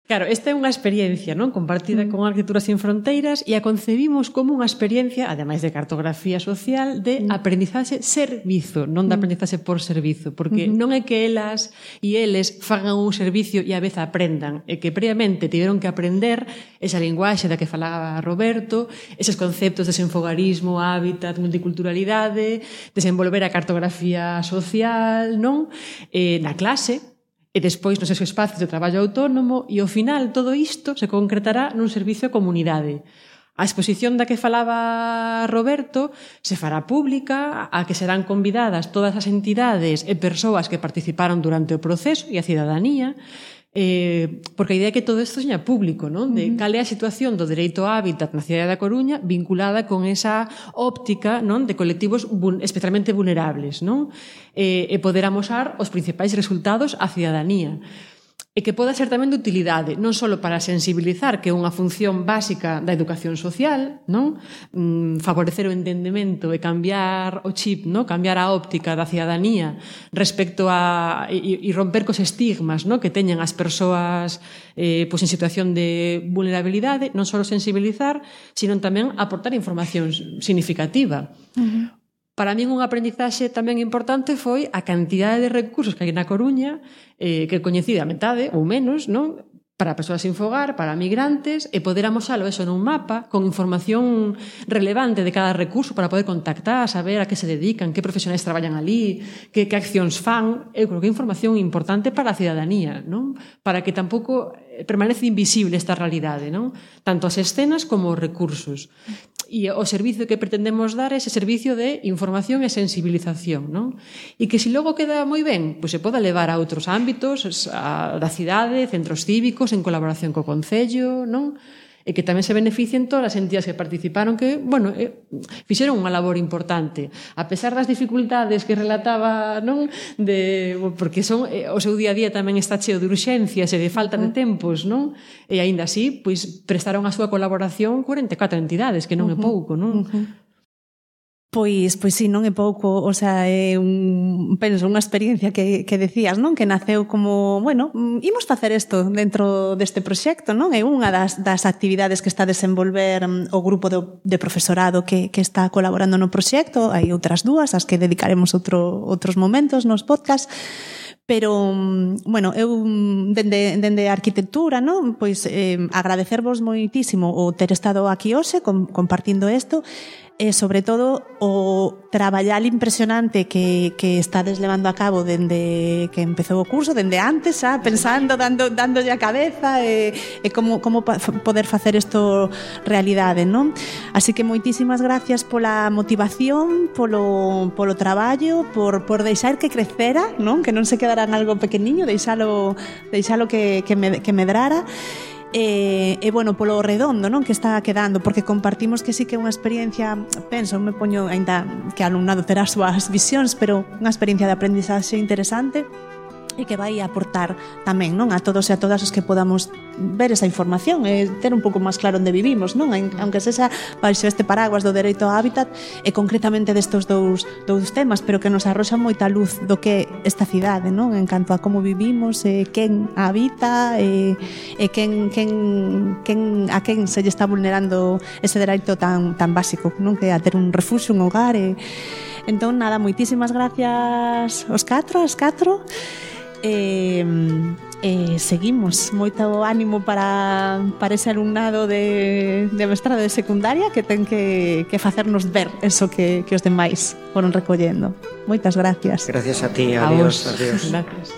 Claro, esta é unha experiencia, non, compartida con Arquitectura Sin Fronteiras e a concebimos como unha experiencia, ademais de cartografía social, de aprendizaxe servizo, non de aprendizaxe por servizo, porque non é que elas e eles fagan un servicio e a vez aprendan, é que previamente tiveron que aprender esa linguaxe da que falaba Roberto, eses conceptos de desenfogarismo, hábitat, multiculturalidade, desenvolver a cartografía social, non, eh, na clase, e despois nos esos espacios de traballo autónomo, e ao final todo isto se concretará nun servicio a comunidade. A exposición da que falaba Roberto se fará pública, a que serán convidadas todas as entidades e persoas que participaron durante o proceso e a cidadanía, eh, porque a idea é que todo isto seña público, non? De cal é a situación do dereito á hábitat na cidade da Coruña vinculada con esa óptica, non, de colectivos especialmente vulnerables, non? E, e poder amosar os principais resultados á cidadanía. E que poda ser tamén de utilidade, non só para sensibilizar, que é unha función básica da educación social, non? Mm, favorecer o entendemento e cambiar o chip, non? Cambiar a óptica da cidadanía respecto a e, e romper cos estigmas, non? Que teñen as persoas eh, pois en situación de vulnerabilidade, non só sensibilizar, sino tamén aportar información significativa. Uh-huh. Para min un aprendizaxe tamén importante foi a cantidade de recursos que hai na Coruña, eh, que coñecida a metade ou menos, non? Para persoas sin fogar, para migrantes, e poder amosalo eso nun mapa, con información relevante de cada recurso para poder contactar, saber a que se dedican, que profesionais traballan ali, que, que accións fan. Eu creo que é información importante para a cidadanía, non? Para que tampouco permanece invisible esta realidade, non? Tanto as escenas como os recursos. E o servicio que pretendemos dar é ese servicio de información e sensibilización, non? E que se logo queda moi ben, pois se poda levar a outros ámbitos, a, da cidade, centros cívicos, en colaboración co Concello, non? E que tamén se beneficien todas as entidades que participaron, que, bueno, eh, fixeron unha labor importante. A pesar das dificultades que relataba, non? De, porque son, eh, o seu día a día tamén está cheo de urxencias e de falta de tempos, non? E aínda así, pois, prestaron a súa colaboración cuarenta e catro entidades, que non é pouco, non? Uh-huh. Pois, pois sí, non é pouco, o sea, é un, penso, unha experiencia que, que decías, non? Que naceu como, bueno, imos facer isto dentro deste proxecto, non? É unha das, das actividades que está a desenvolver o grupo de, de profesorado que, que está colaborando no proxecto, hai outras dúas, as que dedicaremos outro, outros momentos nos podcast, pero, bueno, eu dende, dende a arquitectura, non? Pois eh, agradecervos moitísimo o ter estado aquí hoxe com, compartindo isto, e sobre todo o traballar impresionante que, que estades levando a cabo dende que empezou o curso, dende antes, xa, pensando, dando, dándolle a cabeza e, e como, como poder facer isto realidade, non? Así que moitísimas gracias pola motivación, polo, polo traballo, por, por deixar que crecera, non? Que non se quedara en algo pequeniño, deixalo, deixalo que, que, me, que medrara. E, e bueno, polo redondo, non, que está quedando, porque compartimos que sí que é unha experiencia, penso, me poño aínda que o alumnado terá as súas visións, pero unha experiencia de aprendizaxe interesante e que vai aportar tamén, non, a todos e a todas os que podamos ver esa información e ter un pouco máis claro onde vivimos, non? Aunque sexa baixo este paraguas do dereito ao hábitat e concretamente destes dous, dous temas, pero que nos arroxa moita luz do que esta cidade, non? En canto a como vivimos, e quen habita e, e quen, quen, quen, a quen se lle está vulnerando ese dereito tan, tan básico, non? Que a ter un refuxo, un hogar e... Entón, nada, moitísimas gracias aos catro, aos catro. E, E seguimos, moito ánimo para, para ese alumnado de, de mestrado de secundaria que ten que, que facernos ver eso que, que os demais foron recollendo. Moitas gracias. Gracias a ti, adiós. A adiós. Gracias.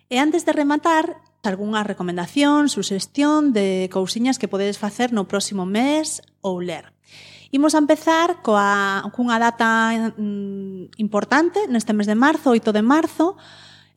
E antes de rematar, algunha recomendación, suxestión de cousiñas que podedes facer no próximo mes ou ler. Imos a empezar coa, cunha data mm, importante neste mes de marzo, oito de marzo.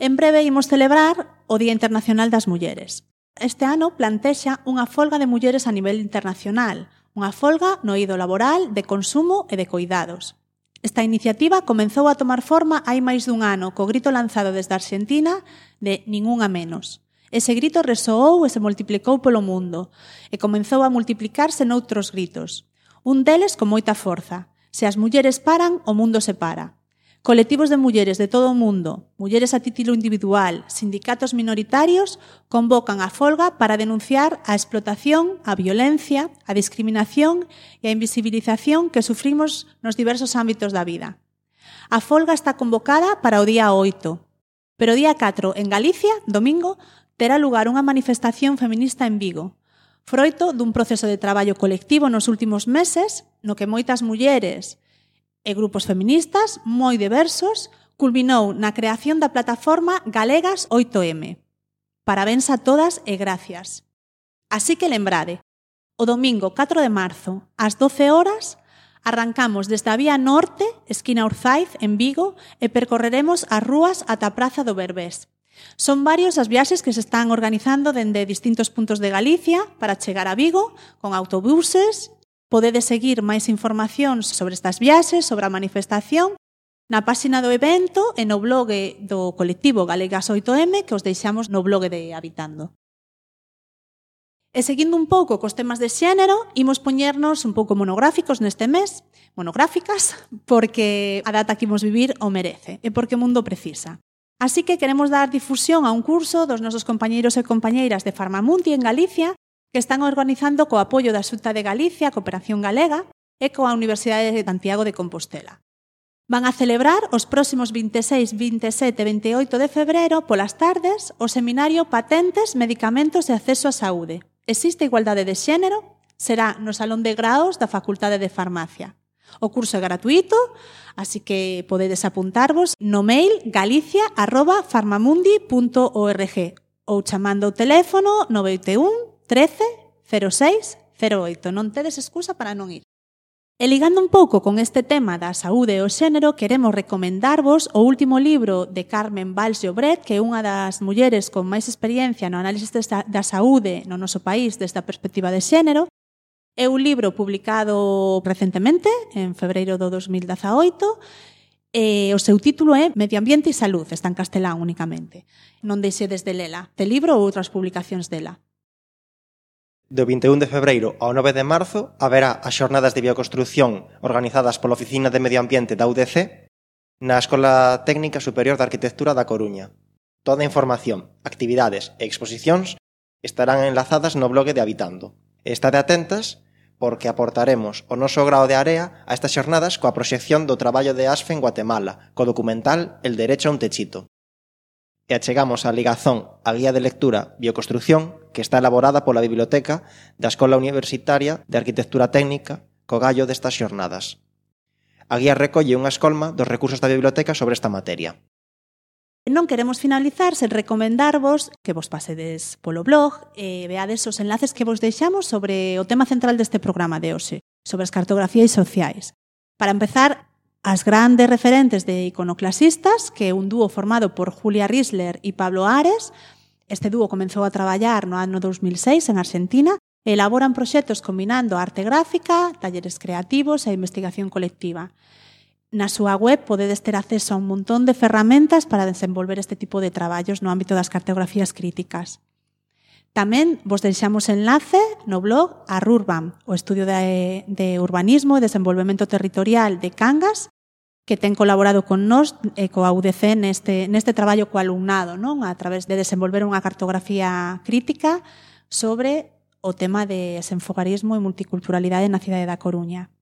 En breve imos celebrar o Día Internacional das Mulleres. Este ano plantexa unha folga de mulleres a nivel internacional, unha folga no eido laboral, de consumo e de coidados. Esta iniciativa comezou a tomar forma hai máis dun ano co grito lanzado desde Argentina de Ningún a menos. Ese grito resoou e se multiplicou polo mundo e comezou a multiplicarse noutros gritos. Un deles con moita forza. Se as mulleres paran, o mundo se para. Colectivos de mulleres de todo o mundo, mulleres a título individual, sindicatos minoritarios, convocan a folga para denunciar a explotación, a violencia, a discriminación e a invisibilización que sufrimos nos diversos ámbitos da vida. A folga está convocada para o día oito, pero o día catro, en Galicia, domingo, terá lugar unha manifestación feminista en Vigo, froito dun proceso de traballo colectivo nos últimos meses, no que moitas mulleres e grupos feministas moi diversos culminou na creación da plataforma Galegas oito eme. Parabéns a todas e gracias. Así que lembrade, o domingo catro de marzo, ás doce horas, arrancamos desde a Vía Norte, esquina Urzaiz, en Vigo, e percorreremos as rúas ata a Praza do Berbés. Son varios as viaxes que se están organizando dende distintos puntos de Galicia para chegar a Vigo, con autobuses. Podedes seguir máis información sobre estas viaxes, sobre a manifestación, na páxina do evento e no blog do colectivo Galegas oito eme que os deixamos no blog de Habitando. E seguindo un pouco cos temas de xénero, imos poñernos un pouco monográficos neste mes, monográficas, porque a data que imos vivir o merece e porque o mundo precisa. Así que queremos dar difusión a un curso dos nosos compañeiros e compañeiras de Farmamundi en Galicia que están organizando co apoio da Xunta de Galicia, Cooperación Galega e coa Universidade de Santiago de Compostela. Van a celebrar os próximos vinte e seis, vinte e sete e vinte e oito de febreiro polas tardes o seminario Patentes, Medicamentos e Acceso á Saúde. Existe igualdade de xénero? Será no Salón de Graos da Facultade de Farmacia. O curso é gratuito, así que podedes apuntarvos no mail galicia arroba farmamundi punto org ou chamando o teléfono nove oito un trece cero seis cero oito. Non tedes excusa para non ir. E ligando un pouco con este tema da saúde e o xénero, queremos recomendarvos o último libro de Carmen Valls Llobret, que é unha das mulleres con máis experiencia no análisis da saúde no noso país desde a perspectiva de xénero, É un libro publicado recentemente, en febreiro do dos mil dezaoito, e o seu título é Medio Ambiente e Salud, está en castelán únicamente. Non deixedes de lela, de libro ou outras publicacións dela. Do vinte e un de febreiro ao nove de marzo haberá as xornadas de bioconstrucción organizadas pola Oficina de Medio Ambiente da U D C na Escola Técnica Superior de Arquitectura da Coruña. Toda a información, actividades e exposicións estarán enlazadas no blog de Habitando. Estade atentas porque aportaremos o noso grao de area a estas xornadas coa proxección do traballo de ASFE en Guatemala, co documental El derecho a un techito. E achegamos a ligazón a guía de lectura Bioconstrucción, que está elaborada pola Biblioteca da Escola Universitaria de Arquitectura Técnica co gallo destas xornadas. A guía recolle unha escolma dos recursos da biblioteca sobre esta materia. Non queremos finalizar sen recomendarvos que vos pasedes polo blog e veades os enlaces que vos deixamos sobre o tema central deste programa de hoxe, sobre as cartografías sociais. Para empezar, as grandes referentes de iconoclasistas, que é un dúo formado por Julia Riesler e Pablo Ares. Este dúo comenzou a traballar no ano dos mil seis en Argentina e elaboran proxectos combinando arte gráfica, talleres creativos e investigación colectiva. Na súa web podedes ter acceso a un montón de ferramentas para desenvolver este tipo de traballos no ámbito das cartografías críticas. Tamén vos deixamos enlace no blog a Rurbam, o estudio de, de urbanismo e desenvolvemento territorial de Cangas, que ten colaborado con nós e coa U D C neste, neste traballo co alumnado, non? A través de desenvolver unha cartografía crítica sobre o tema de desenfogarismo e multiculturalidade na cidade da Coruña.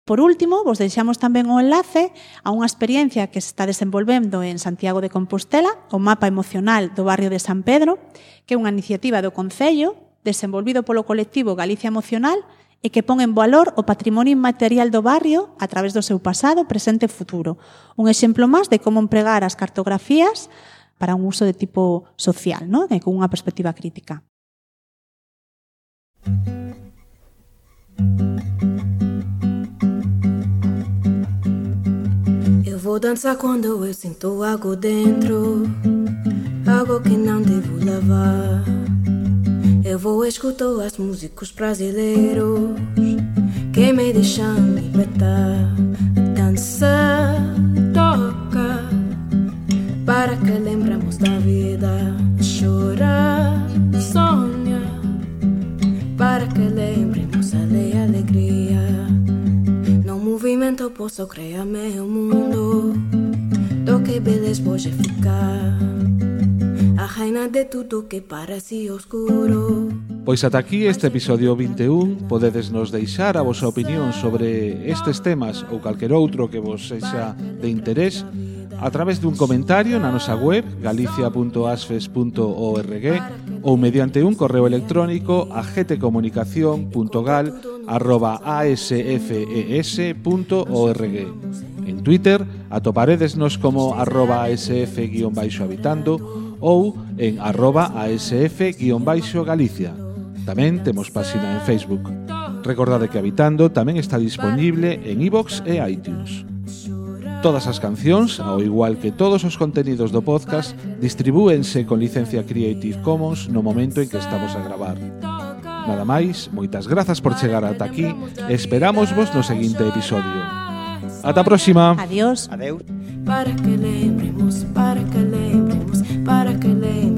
Por último, vos deixamos tamén o enlace a unha experiencia que se está desenvolvendo en Santiago de Compostela, o mapa emocional do barrio de San Pedro, que é unha iniciativa do Concello desenvolvido polo colectivo Galicia Emocional e que pon en valor o patrimonio inmaterial do barrio a través do seu pasado, presente e futuro. Un exemplo máis de como empregar as cartografías para un uso de tipo social, ¿no? E con unha perspectiva crítica. Eu vou dançar quando eu sinto algo dentro, algo que não devo lavar. Eu vou escutar as músicos brasileiros que me deixam libertar. Dança, toca, para que lembramos da vida. Chora, sonha, para que lembremos a lei alegria. No movimento posso criar meu mundo, do que beleza pode ficar, a reina de tudo que parece oscuro. Pois ata aquí este episodio vinte e un. Podedes nos deixar a vosa opinión sobre estes temas ou calquer outro que vos sexa de interés a través dun comentario na nosa web galicia punto asfes punto org ou mediante un correo electrónico a gtcomunicación punto gal arroba asfes punto org. En Twitter atoparedesnos como arroba asf guión baixo habitando ou en arroba asf guión baixo galicia. Tamén temos páxina en Facebook. Recordade que Habitando tamén está disponible en iVoox e iTunes. Todas as cancións, ao igual que todos os contenidos do podcast, distribúense con licencia Creative Commons no momento en que estamos a gravar. Nada máis, moitas grazas por chegar ata aquí e esperámosvos no seguinte episodio. Ata a próxima. Adiós. Adeus. Para que lembremos, para que lembremos, para que lembremos.